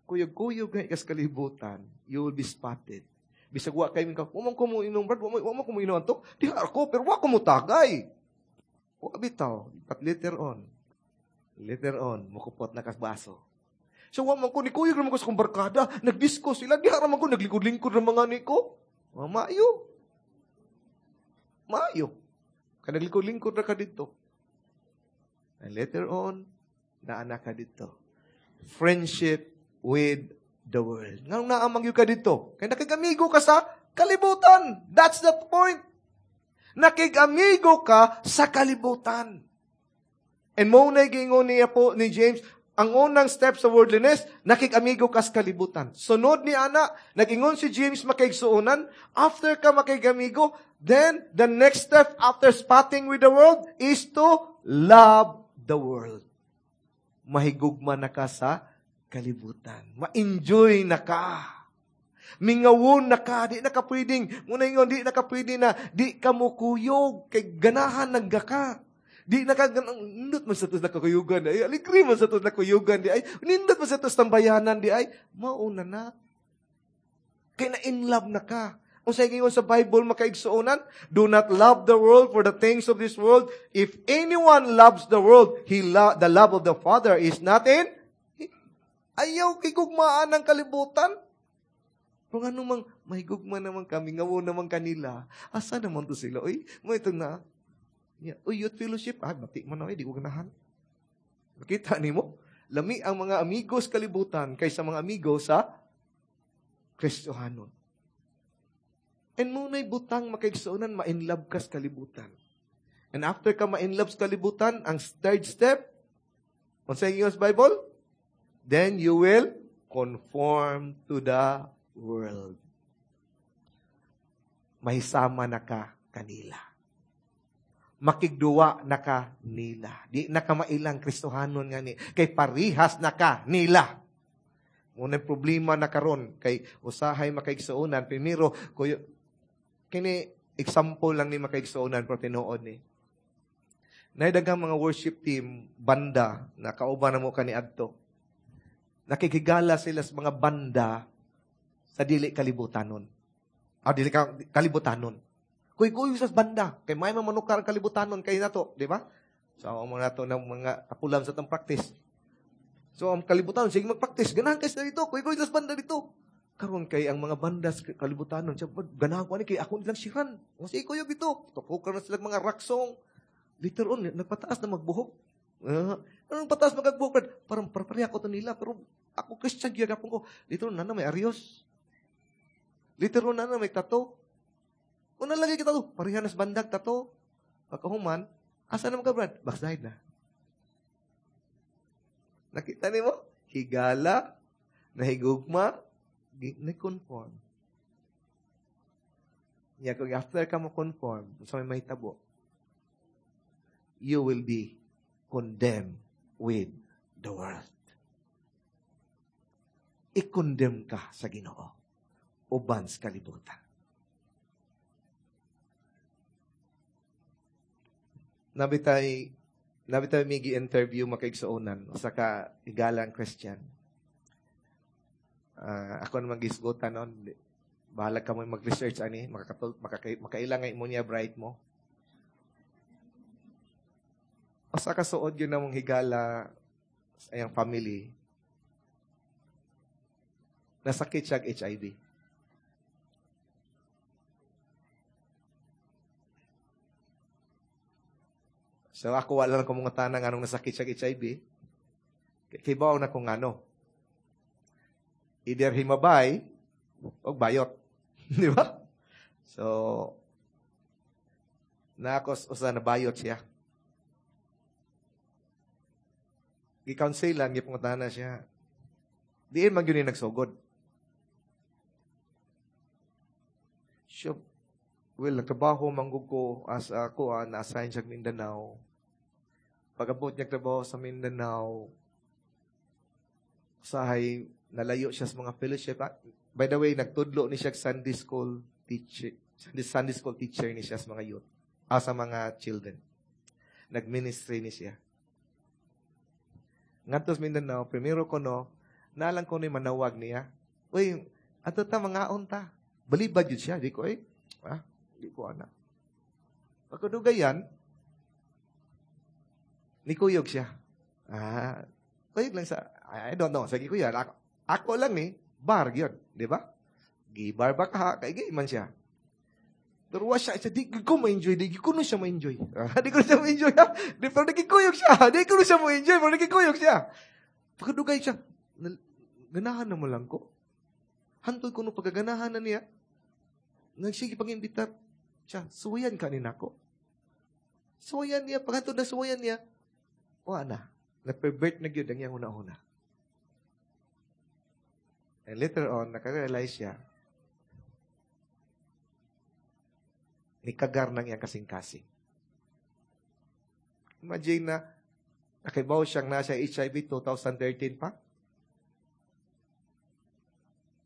Kuyog-kuyog nga ikas kalibutan, you will be spotted. Bisag wa kay minka, wa man ko mo inom, Brad, wa man ko mo inom antok. Di ako, pero wa ko mo tagay. Wa bitaw. But later on, mukupot na kas baso. So, wa man ko, nikuyog naman ko sa kong barkada. Nag-disco sila. Diha raman ko, naglikod-lingkod ng mga niko. Oh, maayo. Maayo. Kaya naglikod-lingkod na ka dito. And later on, naana ka dito. Friendship with the world. Nganong naamang yun ka dito? Kaya nakigamigo ka sa kalibutan. That's the point. Nakigamigo ka sa kalibutan. And mo na gingon niya po ni James, ang unang step sa worldliness, nakigamigo ka sa kalibutan. Sunod ni ana, nagingon si James makaigsuonan, after ka makigamigo, then the next step after spotting with the world is to love the world. Mahigugma na ka sa kalibutan. Ma-enjoy na ka. Mingawon na ka, di na ka pwedeng, muna ingon, di na ka pwede na, di ka mukuyog, kay ganahan nagga ka. Di na ka, nindot man sa tos na kakuyugan, di ay, aligri man sa tos na kuyugan, di ay, nindot man sa tos tambayanan, di ay, mauna na. Kay na in love na ka. Kung sa ingon sa Bible, makaigsuonan, do not love the world for the things of this world. If anyone loves the world, the love of the Father is not in. Ayaw kigugmaan ng kalibutan. Kung ano mang, may gugma naman kami, ngawo naman kanila. Asa naman to sila? Uy, mo ito na. Yeah. Uy, youth fellowship. Ah, bati man na, di ko ganahan. Makita ni mo? Lami ang mga amigos kalibutan kaysa mga amigos sa Kristohanon. And muna'y butang makaigsuonan, ma-inlove ka sa kalibutan. And after ka ma-inlove sa kalibutan, ang third step, unsa ingon sa Bible? Then you will conform to the world. Mahisama na ka kanila. Makigduwa na ka nila. Di na ka mailang Kristohanon nga ni. Kay parihas na ka nila. Unang problema na karon kay usahay makaigsuonan. Primero, kuyo, kini example lang ni makaigsuonan pero tinuod ni. Naidaghang mga worship team, banda, na kauban na mo kaniadto. Nakikigala sila sa mga banda sa dili kalibutanon. Ah, dili kalibutanon. Kuy-kuy sa banda. Kay may mamanukar ang kalibutanon kay nato, di ba? So, ang mga nato ng mga kapulam sa tang practice. So, ang kalibutanon, sige mag-practice. Ganahan kayo dito. Kuy-kuy sa banda dito. Karon kay ang mga banda sa kalibutanon, siya, ganahan ko ani kay ako nilang siran. Sige, kuy dito. Tukukan na sila mga rock song. Later on, nagpataas na magbuhok. Anong pataas magbuhok? Parang pareha ko to nila, pero ako Christian, giyagapon ko. Later on, nana may arios. Later on, nana may tato. Una lagi kita to, pareha nas bandag tato. Pagkahuman, asa naman ka, Brad? Backslide na. Nakita ni mo? Higala, nahigugma, na-conform. Ya, kung after ka mo conform, sa may mahitabo, you will be condemned with the world. I-condemn ka sa Ginoo uban sa kalibutan. Nabitay may gi-interview makaigsuonan usa ka igalang Christian. Ako naman gisgutan noon. Bahala ka mo mag-research ani, makaila nga imo niya bright mo. Usa ka suod yun namong higala sa iyang family. Nasakit siya og HIV. So ako wala lang kumungutana nganong nasakit siya og HIV. Kibaw na kung ano. Either himabay o bayot. Di ba? So, naakos usa na bayot siya. Gi-counsel lang, gipangutana siya. Diin man gyud ni nagsugod. Siya, well, nagtrabaho manggug ko as ako, na-assign siya Mindanao. Pag-abot niya trabaho sa Mindanao, usahay nalayo siya sa mga fellowship. By the way, nagtudlo ni siya Sunday school teacher, Sunday school teacher ni siya sa mga youth, sa mga children. Nag-ministry ni siya. Ngadto sa Mindanao, primero ko no, nalang ko ni manawag niya. Uy, ato ta mangaon ta. Balibad yun siya. Di ko, di ko ana. Pagkadugayan, nikuyog siya. Kuyog lang sa, I don't know. Sige kuya, ako lang ni, bar yun. Di ba? Gibar ba ka? Kay gay man siya. Pero wa siya, siya, di ko ma-enjoy, di ko no siya ma-enjoy. Di ko siya ma-enjoy, ha? Di, pero nagkikuyog siya. Di ko no siya ma-enjoy, pero nagkikuyog siya. Pagkadugay siya, ganahan na mo lang ko. Hantod ko no pagkaganahan na niya. Nagsige pag-imbitar siya, suwayan ka ni nako. Suwayan niya, pag hantod na suwayan niya, wa na. Na-pervert na gyud ang iyang una-una. And later on, nakarealize siya, nikagar ng iyang kasing-kasing. Imagine na, nakibaw siyang nasa HIV 2013 pa.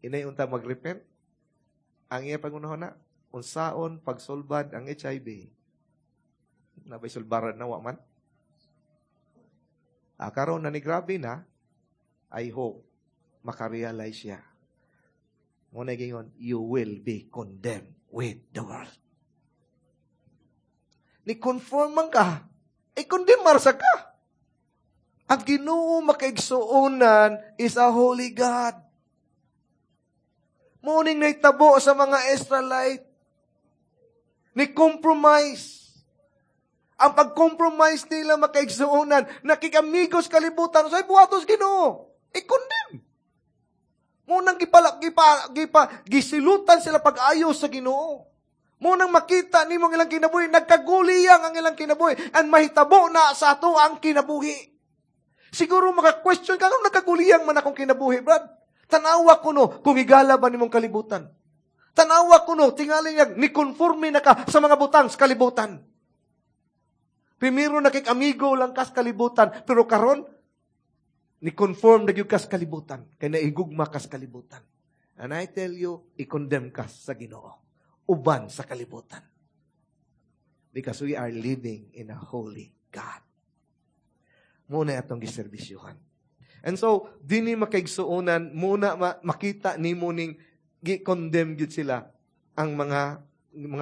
Inay unta magrepent. Ang iya pangunahon na, unsaon pagsulbad ang HIV. Nabay sulbaran na, wa man. Karon na ni grabe na, I hope makarealize siya. Muna gingon, you will be condemned with the world. Ni conform man ka, i-condemn marsa ka. Ang Ginoo makaigsuonan is a holy God. Morning naitabo sa mga Israelite. Ni compromise. Ang pag-compromise nila makaigsuonan, nakikamigos kalibutan, sa buhatos Ginoo, i-condemn. Munang gisilutan sila pag-ayos sa Ginoo. Munang makita nimo ang ilang kinabuhi, nagkaguliyang ang ilang kinabuhi, and mahitabo na sa ato ang kinabuhi. Siguro maka-question ka, anong nagkaguliyang man akong kinabuhi, Brad? Tanawa ko no, kung igala ba nimong kalibutan. Tanawa ko no, tingali niya, ni-conforme na ka sa mga butang sa kalibutan. Primero nakik-amigo lang kas kalibutan, pero karon ni-conform na gyud kas kalibutan, kay naigugma kas kalibutan. And I tell you, i-condemn kas sa Ginoo. Uban sa kalibutan. Because we are living in a holy God. Muna atong giserbisyuhan. And so, dini makaigsuonan, muna makita nimo ning gi-condemn gyud sila ang mga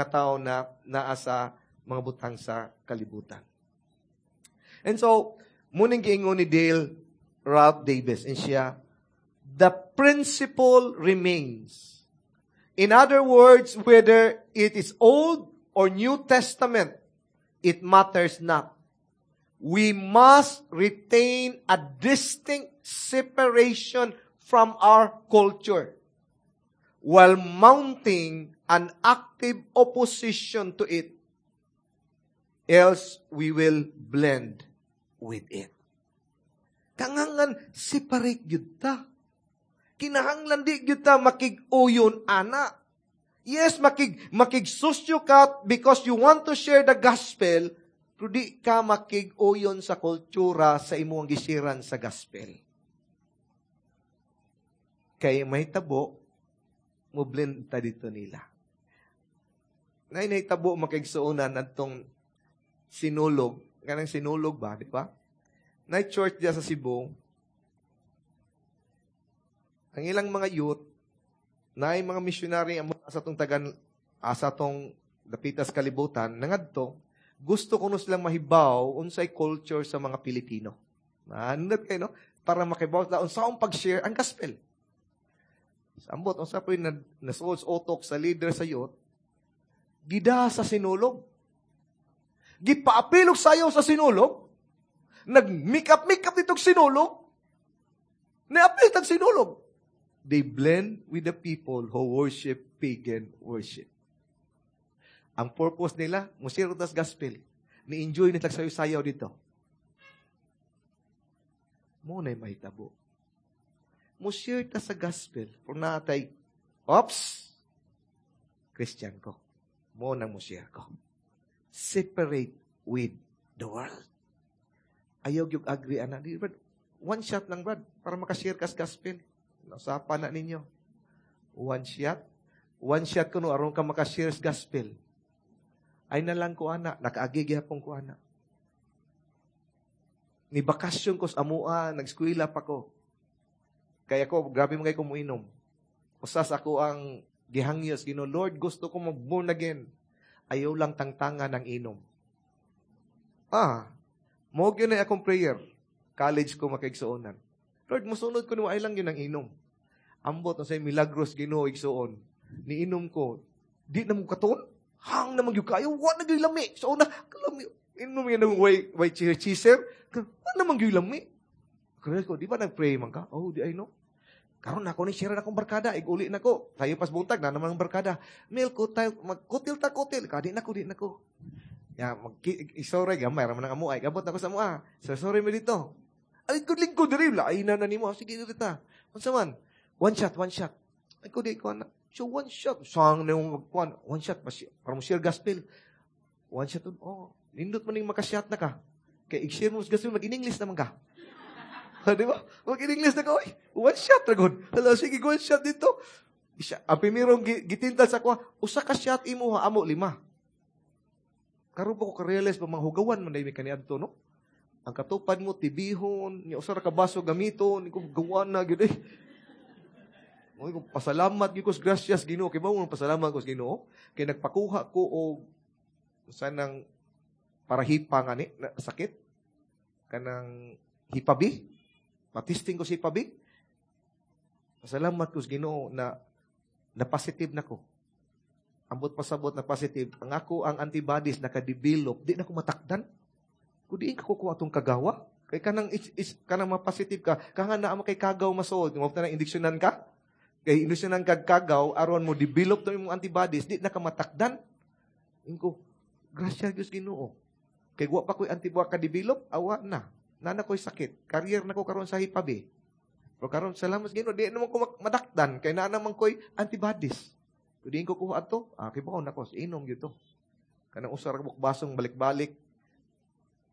tao na naa sa mga butang sa kalibutan. And so, muning giingon ni Dale Ralph Davis, and siya, the principle remains. In other words, whether it is Old or New Testament, it matters not. We must retain a distinct separation from our culture while mounting an active opposition to it. Else, we will blend with it. Kangangan, separate gyud ta. Kinahanglan di gyud ta makig-uyon ana. Yes, makigsusyo ka because you want to share the gospel, pero di ka makig-uyon sa kultura sa imong gisiran sa gospel. Kay may tabo, mo-blend ta dito nila. Nay nahitabo makigsuonan adtong sinulog, kanang sinulog ba, di ba? Nay church diya sa Cebu, ang ilang mga youth, naay mga missionary ang sa tong tagan, sa tong dapitas kalibutan, nangadto, gusto kuno silang mahibaw unsay culture sa mga Pilipino. Maandat kayo, no? Para makibaw sila unsaon pag-share ang gospel. Sambot, unsa po yung nasuod sa utok sa leader sa youth, gida sa sinulog. Gipaapilog sayo sa sinulog, nag-make up ditong sinulog, naapil tag sinulog. They blend with the people who worship pagan worship. Ang purpose nila, musiro tas gospel. Ni-enjoy nila sayo-sayaw dito. Muna'y mahitabo. Musir ta sa gospel. Kung natay, ops, Christian ko. Mo nang musir ko. Separate with the world. Ayaw yung agree, ana. Di, Brad, one shot lang, Brad, para makashare ka sa gospel. Nausapan na ninyo. One shot. One shot ko no, aron ka makashare sa gospel. Ay na lang ko, ana. Nakaagi gihapon ko, ana. Ni bakasyon ko sa amua, nag-eskwela pa ko. Kaya ko, grabe mo kayo kumuinom. Usas ako ang gihangyos, Ginoo, Lord, gusto ko mag-born again. Ayaw lang tangtangan ng inom. Mo gyud na akong prayer. College ko, makaigsuonan. Lord, musunod ko nimo, ay lang yun ang inom. Ambot na say milagros Ginoo, igsuon. Niinom ko, di na mo katuon. Hang na magyud kayo, wa na gyud lami. So una, kalami, inom yan ng way chaser. Wa na man gyud lami. Kaya ko, di ba nag-pray man ka? Oh, di ay no. Karon ako ni share na akong barkada, iguli na ko. Tayo pas buntag na naman ang barkada. Mil ko tayo magkutil ta kutil. Kadi na ko, di na ko. Ya, mag sorry gamay ra man ang amo ay gabot na ko sa mua. So sorry mo dito. Ay lingkod diri lain na na nimo. Sige diri ta. Unsa man? One shot, one shot. Ay ko di ko na. So one shot, sang na yung magkuan, one shot para mo share gospel. One shot, oh, nindot man ning makashot na ka. Kay i-share mo sa gospel, mag-in-English naman ka. Di ba? Mag-in-English na ka, oy. One shot ra gud. Hala, sige, one shot dito. Isa, ang primerong gitintal sa kuha, usa ka shot imo ha, amo lima. Karon pa ko ka-realize ba, mga hugawan man dahil kaniadto, no? Ang katupad mo, tibihon, niya usa ra ka baso gamiton, ko gawan na gyud eh. Mo ko pasalamat gyud ko sa gracias Ginoo, kay ba mo pasalamat ko sa Ginoo? Kay nagpakuha ko og usa nang para hipa nga ni na, sakit kanang Hipa B. Patisting ko si Hipa B. Pasalamat ko sa Ginoo na na positive na ko. Ambot pasabot na positive. Ang ako ang antibodies nakadevelop, di na ko matakdan. Kung di ka kukuha atong kagawa, kay kanang is, kanang ma-positive ka, kanga na mo kay kagaw masood, mo na indiksyonan ka. Kay indiksyonan kag kagaw aron mo develop to imong antibodies, di na ka matakdan. Ingko, grasya Dios Ginoo. Kay wa pa ko'y antibody ka-develop, awa na. Nana ko'y sakit. Carrier na ko karon sa Hipa B. Pero karon salamat sa Ginoo, di naman ko madakdan kay naa naman ko'y antibodies. Kung di ko kuha ato, kay baon nako, inom gyud to. Kanang usa ra ka basong balik-balik.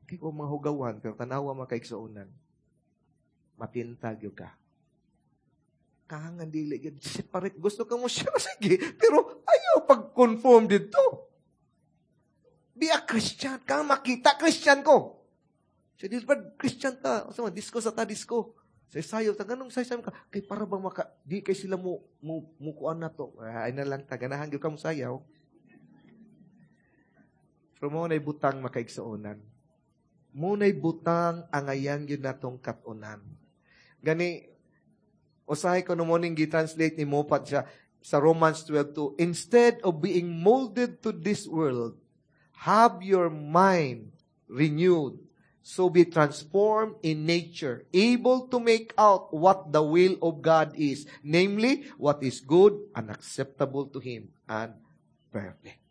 Kay ko mga hugawan, pero tanawa mga kaigsuonan. Matintag gyud ka. Kahangan dili gyud separate. Gusto ka mo siya, sige, pero ayaw pag-conform dito. Be a Christian. Kang makita, Christian ko. So, di ba, Christian ta. Sa mga disco sa ta, disco. Sa sayo, ta, ganong sayo ka. Kay para bang maka, di kay sila mo kuan na to. Ay na lang ta, ganahan gyud ka mo sayaw. Pero mo na'y butang makaigsuonan. Mo na'y butang angayan gyud natong katunan. Gani, usahay ko no morning gi-translate ni Moffat siya sa Romans 12:2, instead of being molded to this world, have your mind renewed, so be transformed in nature, able to make out what the will of God is, namely, what is good and acceptable to Him and perfect.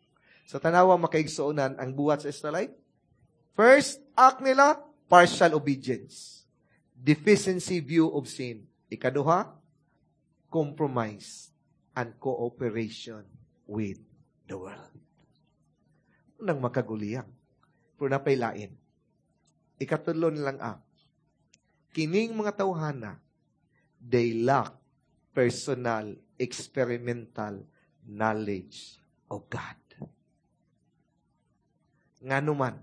Sa tanawa makaigsuonan ang buhat sa Israelite, first act nila, partial obedience. Deficiency view of sin. Ikaduha, compromise and cooperation with the world. Nang makaguliyang. Pero napailain. Ikatulo nilang act. Kining mga tawhana, they lack personal, experimental knowledge of God. Ngano man,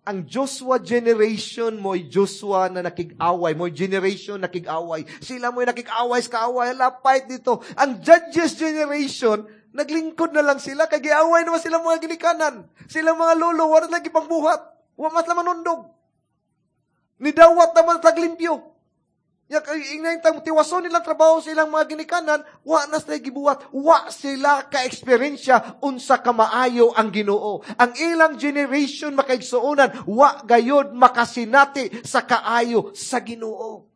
ang Joshua generation mo'y Joshua na nakig-away, mo'y generation nakig-away. Sila mo'y nakig-away sa kaaway, hala, fight dito. Ang Judges generation, naglingkod na lang sila, kay giaway naman sila mga ginikanan. Sila mga lolo, wala lagi pangbuhat. Wa mas naman nundog. Nidawat naman taglimpyo. Ya kay ingay tang tiwason nilang trabaho sa ilang mga ginikanan, wa na sila gibuhat, wa sila ka-eksperyensya unsa ka maayo ang Ginoo. Ang ilang generation makaigsuonan, wa gayod makasinati sa kaayo sa Ginoo.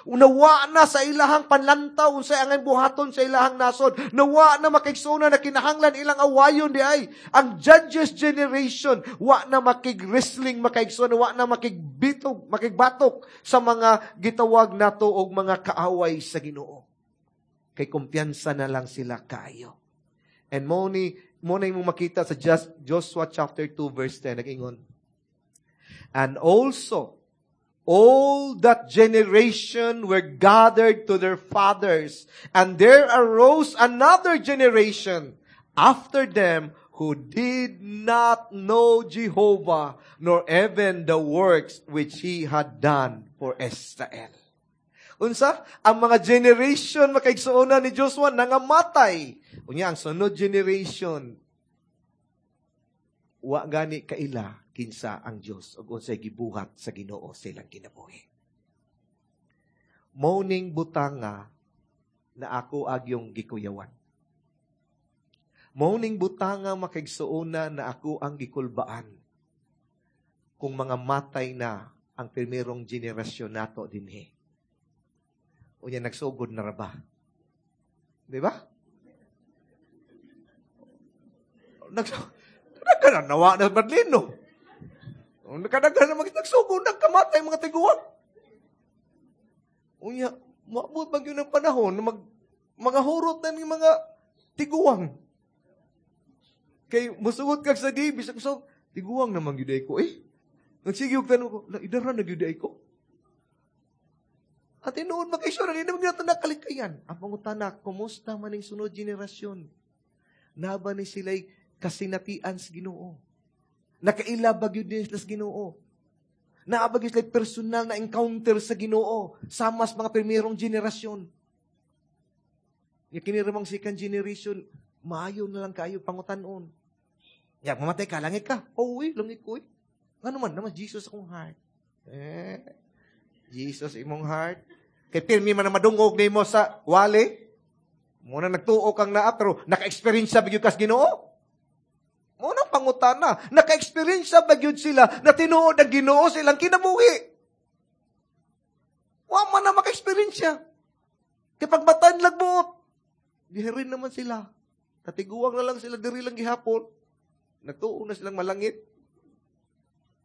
Nawa na sa ilahang panlantaw unsay angay buhaton sa ilahang nasod. Nawa na makaigsuonan na kinahanglan ilang awayon di ay. Ang Judges generation wa na makig-wrestling makaigsuonan, wa na makigbitog, makigbatok sa mga gitawag nato og mga kaaway sa Ginoo. Kay kumpiyansa na lang sila kaayo. And mo na mo makita sa Joshua chapter 2 verse 10 nag-ingon. And also all that generation were gathered to their fathers, and there arose another generation after them who did not know Jehovah, nor even the works which He had done for Israel. Unsa? Ang mga generation makaigsuonan ni Joshua nangamatay. Unya, ang sunod generation, Wa gani kaila kinsa ang Dios ug unsay gibuhat sa Ginoo sa ilang kinabuhi. Mao ning butanga na ako agyong gikuyawan. Mao ning butanga, makaigsuona, na ako ang gikulbaan kung mga matay na ang primerong henerasyon nato dinhi. Unya nagsugod na ra ba? Di ba? Nagkanan, nawa na Badlino. Nakadaghan na nagsugod, nagkamatay mga tiguang. Unya, maabot ba yun ang panahon na mga hurot na ng mga tiguang? Kay musugot kag sa di, bisag so, tiguang naman gyud ko eh. Nagsige og tanong ko, la idara na gyud ko. At tinuod makisure, hindi naman gyud nakalikayan. Ang pangutana, kumusta man ning sunod henerasyon? Naba ni sila'y kasinatian sa Ginoo? Nakaila ba gyud ni sila sa Ginoo? Naa ba gyud sila'y personal na encounter sa Ginoo sama sa mga primerong henerasyon? Nga kini ramang second generation, maayo na lang kayo pangutanon. Ya, mamatay ka, langit ka. Oh, uy, langit ko eh. Ano man, naman Jesus akong heart. Eh, Jesus imong heart. Kay pirmi man na madungog nimo sa wali. Muna nagtuo kang naa, pero naka-experience ba gyud kas Ginoo? Muna pangutana, naka-experience ba gyud sila na tinuod ang Ginoo sa ilang kinabuhi? Wa man na maka-experience. Kay pagbatan lagbuot, dihirin naman sila. Katiguang na lang sila, diri lang gihapon. Nagtuo na silang malangit.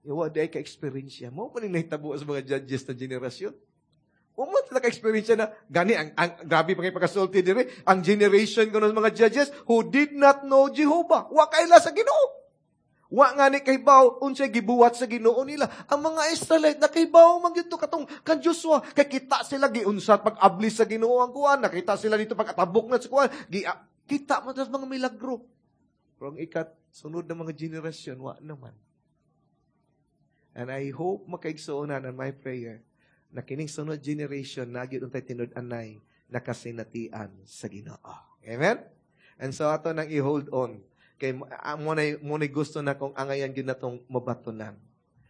Iwa di ay ka-experience. Mao man ning nahitabo sa mga judges na generasyon. Wa man sila ka-experience na, gani, ang grabe pa kay pagkasulti diri, ang generation ko ng mga judges who did not know Jehovah. Wa kaila sa Ginoo. Wa nga ni kahibaw unsay gibuhat sa Ginoo nila. Ang mga Israelite nakahibaw man gyud to katong kan Joshua, kay kita sila giunsat pag-abli sa Ginoo ang kuan, nakita sila dito pag-atabok na sa kuan, kita man sa mga milagro. Pero ang ikat sunod na mga generasyon wa naman. And I hope, makaigsuonan, and my prayer na kining sunod generation na gyud untay tinud-anay na kasinatian sa Ginoo. Amen? And so ato nang i-hold on. Kay mo na gusto na kung angayan gyud natong mabatunan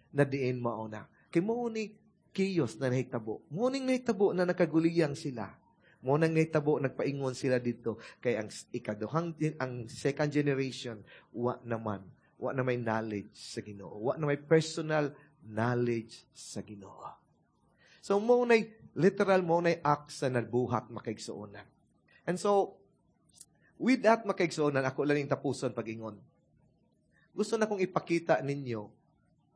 na diin mao na. Kay mo ni chaos na nahitabo. Mo ning nahitabo na nakaguliyang sila. Mo nang nahitabo nagpaingon sila dito kay ang ikaduhang ang second generation wa naman, wa na may knowledge sa Ginoo. Wa na may personal knowledge sa Ginoo. So mo na literal mo na act sa nagbuhat, makaigsuonan. And so with that, makaigsuonan, ako lang yung tapuson pag-ingon. Gusto na kong ipakita ninyo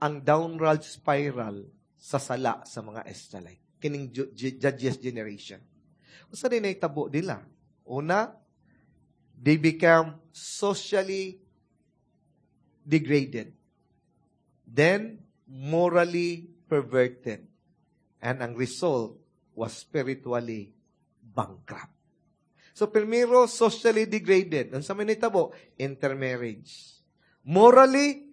ang downward spiral sa sala sa mga Israelite. Kining Judges generation. Unsa din nahitabo nila? Una, they become socially degraded. Then, morally perverted. And ang result was spiritually bankrupt. So, primero, socially degraded. Ang sa nahitabo? Intermarriage. Morally,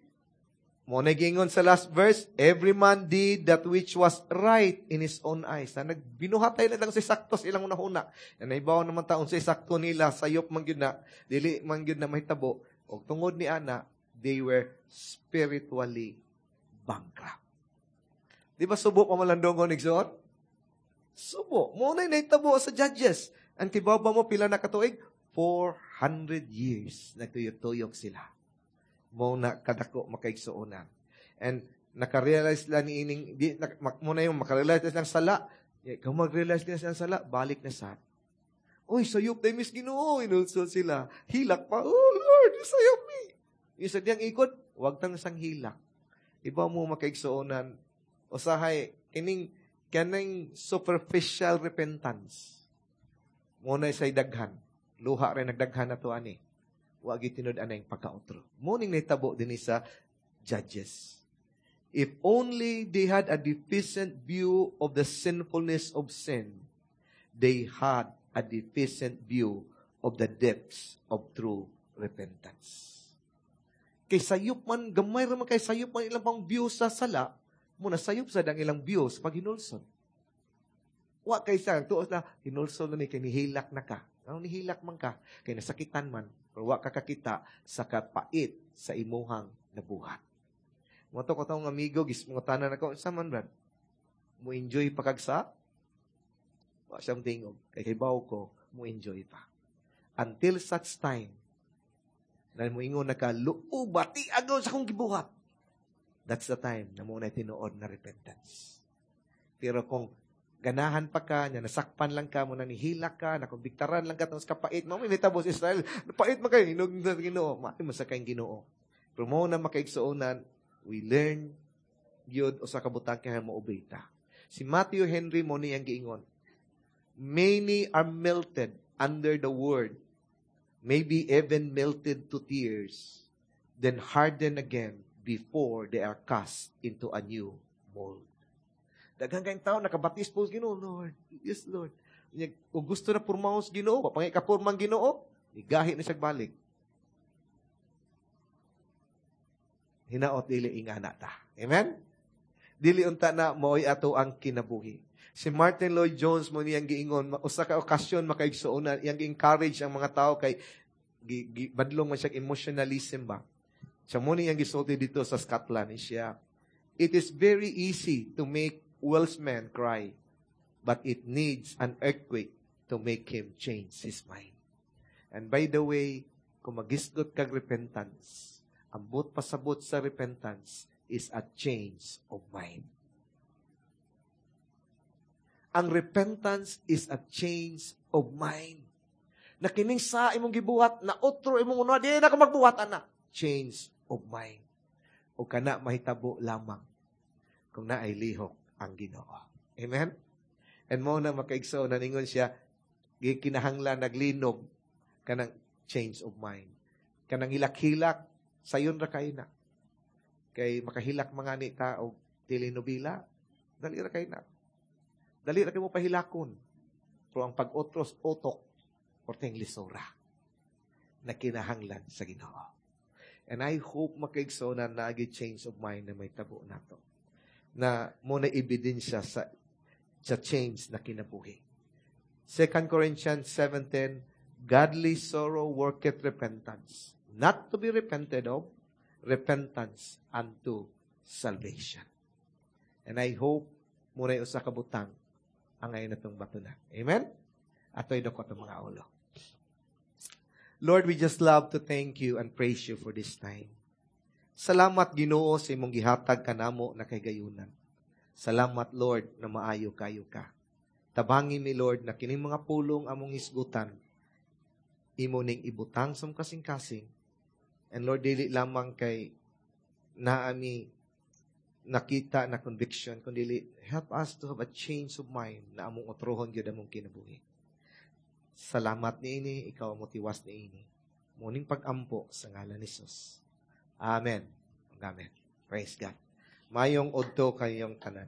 mo na gingon sa last verse, every man did that which was right in his own eyes. Na nagbinuhatay na lang si sakto sa ilang una-una. Na naibaw naman taon sa sakto nila, sayop man gyud na, dili man gyud na mahitabo. O tungod ni ana, they were spiritually bankrupt. Di ba subo pa malandong igsoon? Subo. Mo na nahitabo sa Judges. Ang kibaw ba mo pila na katuig? 400 years nagtuyok-tuyok sila. Mo na kadako, makaigsuonan. And nakarealize lang ni ining di na, mo na yung makarealize na silang sala. Eh, kung mag-realize nila silang sala, balik na sa. Uy, sayop tayo mis Ginoo, inulsol sila. Hilak pa, "Oh Lord, sayop mi." Yung sa diyang ikot, wag tang sang hilak. Iba mo, makaigsuonan, usahay, kining, kaning superficial repentance. Mo na say daghan. Luha rin nagdaghan na to ani. Wa gitinud anay pagkautro. Mo ning nahitabo dinhi sa Judges. If only they had a deficient view of the sinfulness of sin, they had a deficient view of the depths of true repentance. Kay sayop man, gamay ra man kay sayop man ilang pang view sa sala, mo na sayop sa dang ilang view sa paghinulsol. Wa kay sa tuos na hinulsol na ni kay nihilak na ka. Ano nihilak man ka? Kay nasakitan man, pero wa ka kakita sa kapait sa imuhang nabuhat. Mo to ko tong amigo, gismutanan ako, "Sa man, Brad? Mo enjoy pa kag sa?" Wa siyang tingog. Kay kibaw ko, mo enjoy pa. Until such time, na moingon na ka, "Luoba, tiagaw sa akong gibuhat." That's the time na mo na tinuod na repentance. Pero kung ganahan pa ka, nya nasakpan lang ka, mo na nihilak ka, nakumbiktaran lang ka, tapos kapait, mo may mitabo sa Israel, pait man kayo, hinog na Ginoo, maay mo sa kayong Ginoo. Pero mo na makaigsuonan, we learn gyud usa ka butang kay mo ta. Si Matthew Henry mo niyang giingon, "Many are melted under the word, maybe even melted to tears, then harden again before they are cast into a new mold." Daghan kayong tao nakabatis po sa Ginoo, "Lord, yes Lord." Kung gusto na purmahos Ginoo, pangay ka purmang Ginoo, igahi na siya balik. Hinaot dili ingana ta. Amen? Dili unta na mo'y ato ang kinabuhi. Si Martin Lloyd Jones mo niyang giingon, usa ka okasyon makaigsuonan, iyang gi-encourage ang mga tao kay badlong man siya emotionalism ba. Siya mo niyang gisulti dito sa Scotland siya, "It is very easy to make Welshman cry, but it needs an earthquake to make him change his mind." And by the way, kung magisgot kag repentance, ang buot pasabot sa repentance is a change of mind. Ang repentance is a change of mind. Na kining sa imong gibuhat, na otro imong uno, di na ka magbuhat, ana. Change of mind. O kana mahitabo lamang kung naay lihok ang Ginoo. Amen? And mo na makaigsoon, naningon siya, gikinahanglan naglinog kanang change of mind. Kanang hilak-hilak, sayon ra kay na. Kay makahilak mga ni ta og telenovela, dali ra kay na. Dali ra kay mo pahilakon. Pero ang pag-otros utok, porteng lisora na kinahanglan sa Ginoo. And I hope makaigsoon na naagi change of mind na may tabo nato. Na mo na ebidensya sa change na kinabuhi. 2 Corinthians 7:10, "Godly sorrow worketh repentance, not to be repented of, repentance unto salvation." And I hope muna usa ka butang ang ngayon natong batunan. Amen? Ato'y dako itong mga ulo. Lord, we just love to thank you and praise you for this time. Salamat, Ginoo, sa imong gihatag kanamo na kay gayunan. Salamat, Lord, na maayo kayo ka. Tabangi mi, Lord, na kining mga pulong among hisgutan, imo ning ibutang sa kasing-kasing. And Lord, dili lamang kay naami nakita na conviction, kundi help us to have a change of mind na among otrohon gyud among kinabuhi. Salamat niini, ikaw ang motiwas niini. Muning pag-ampo sa ngalan ni Jesus. Amen. Amen. Praise God. Mayong udto kayong tanan.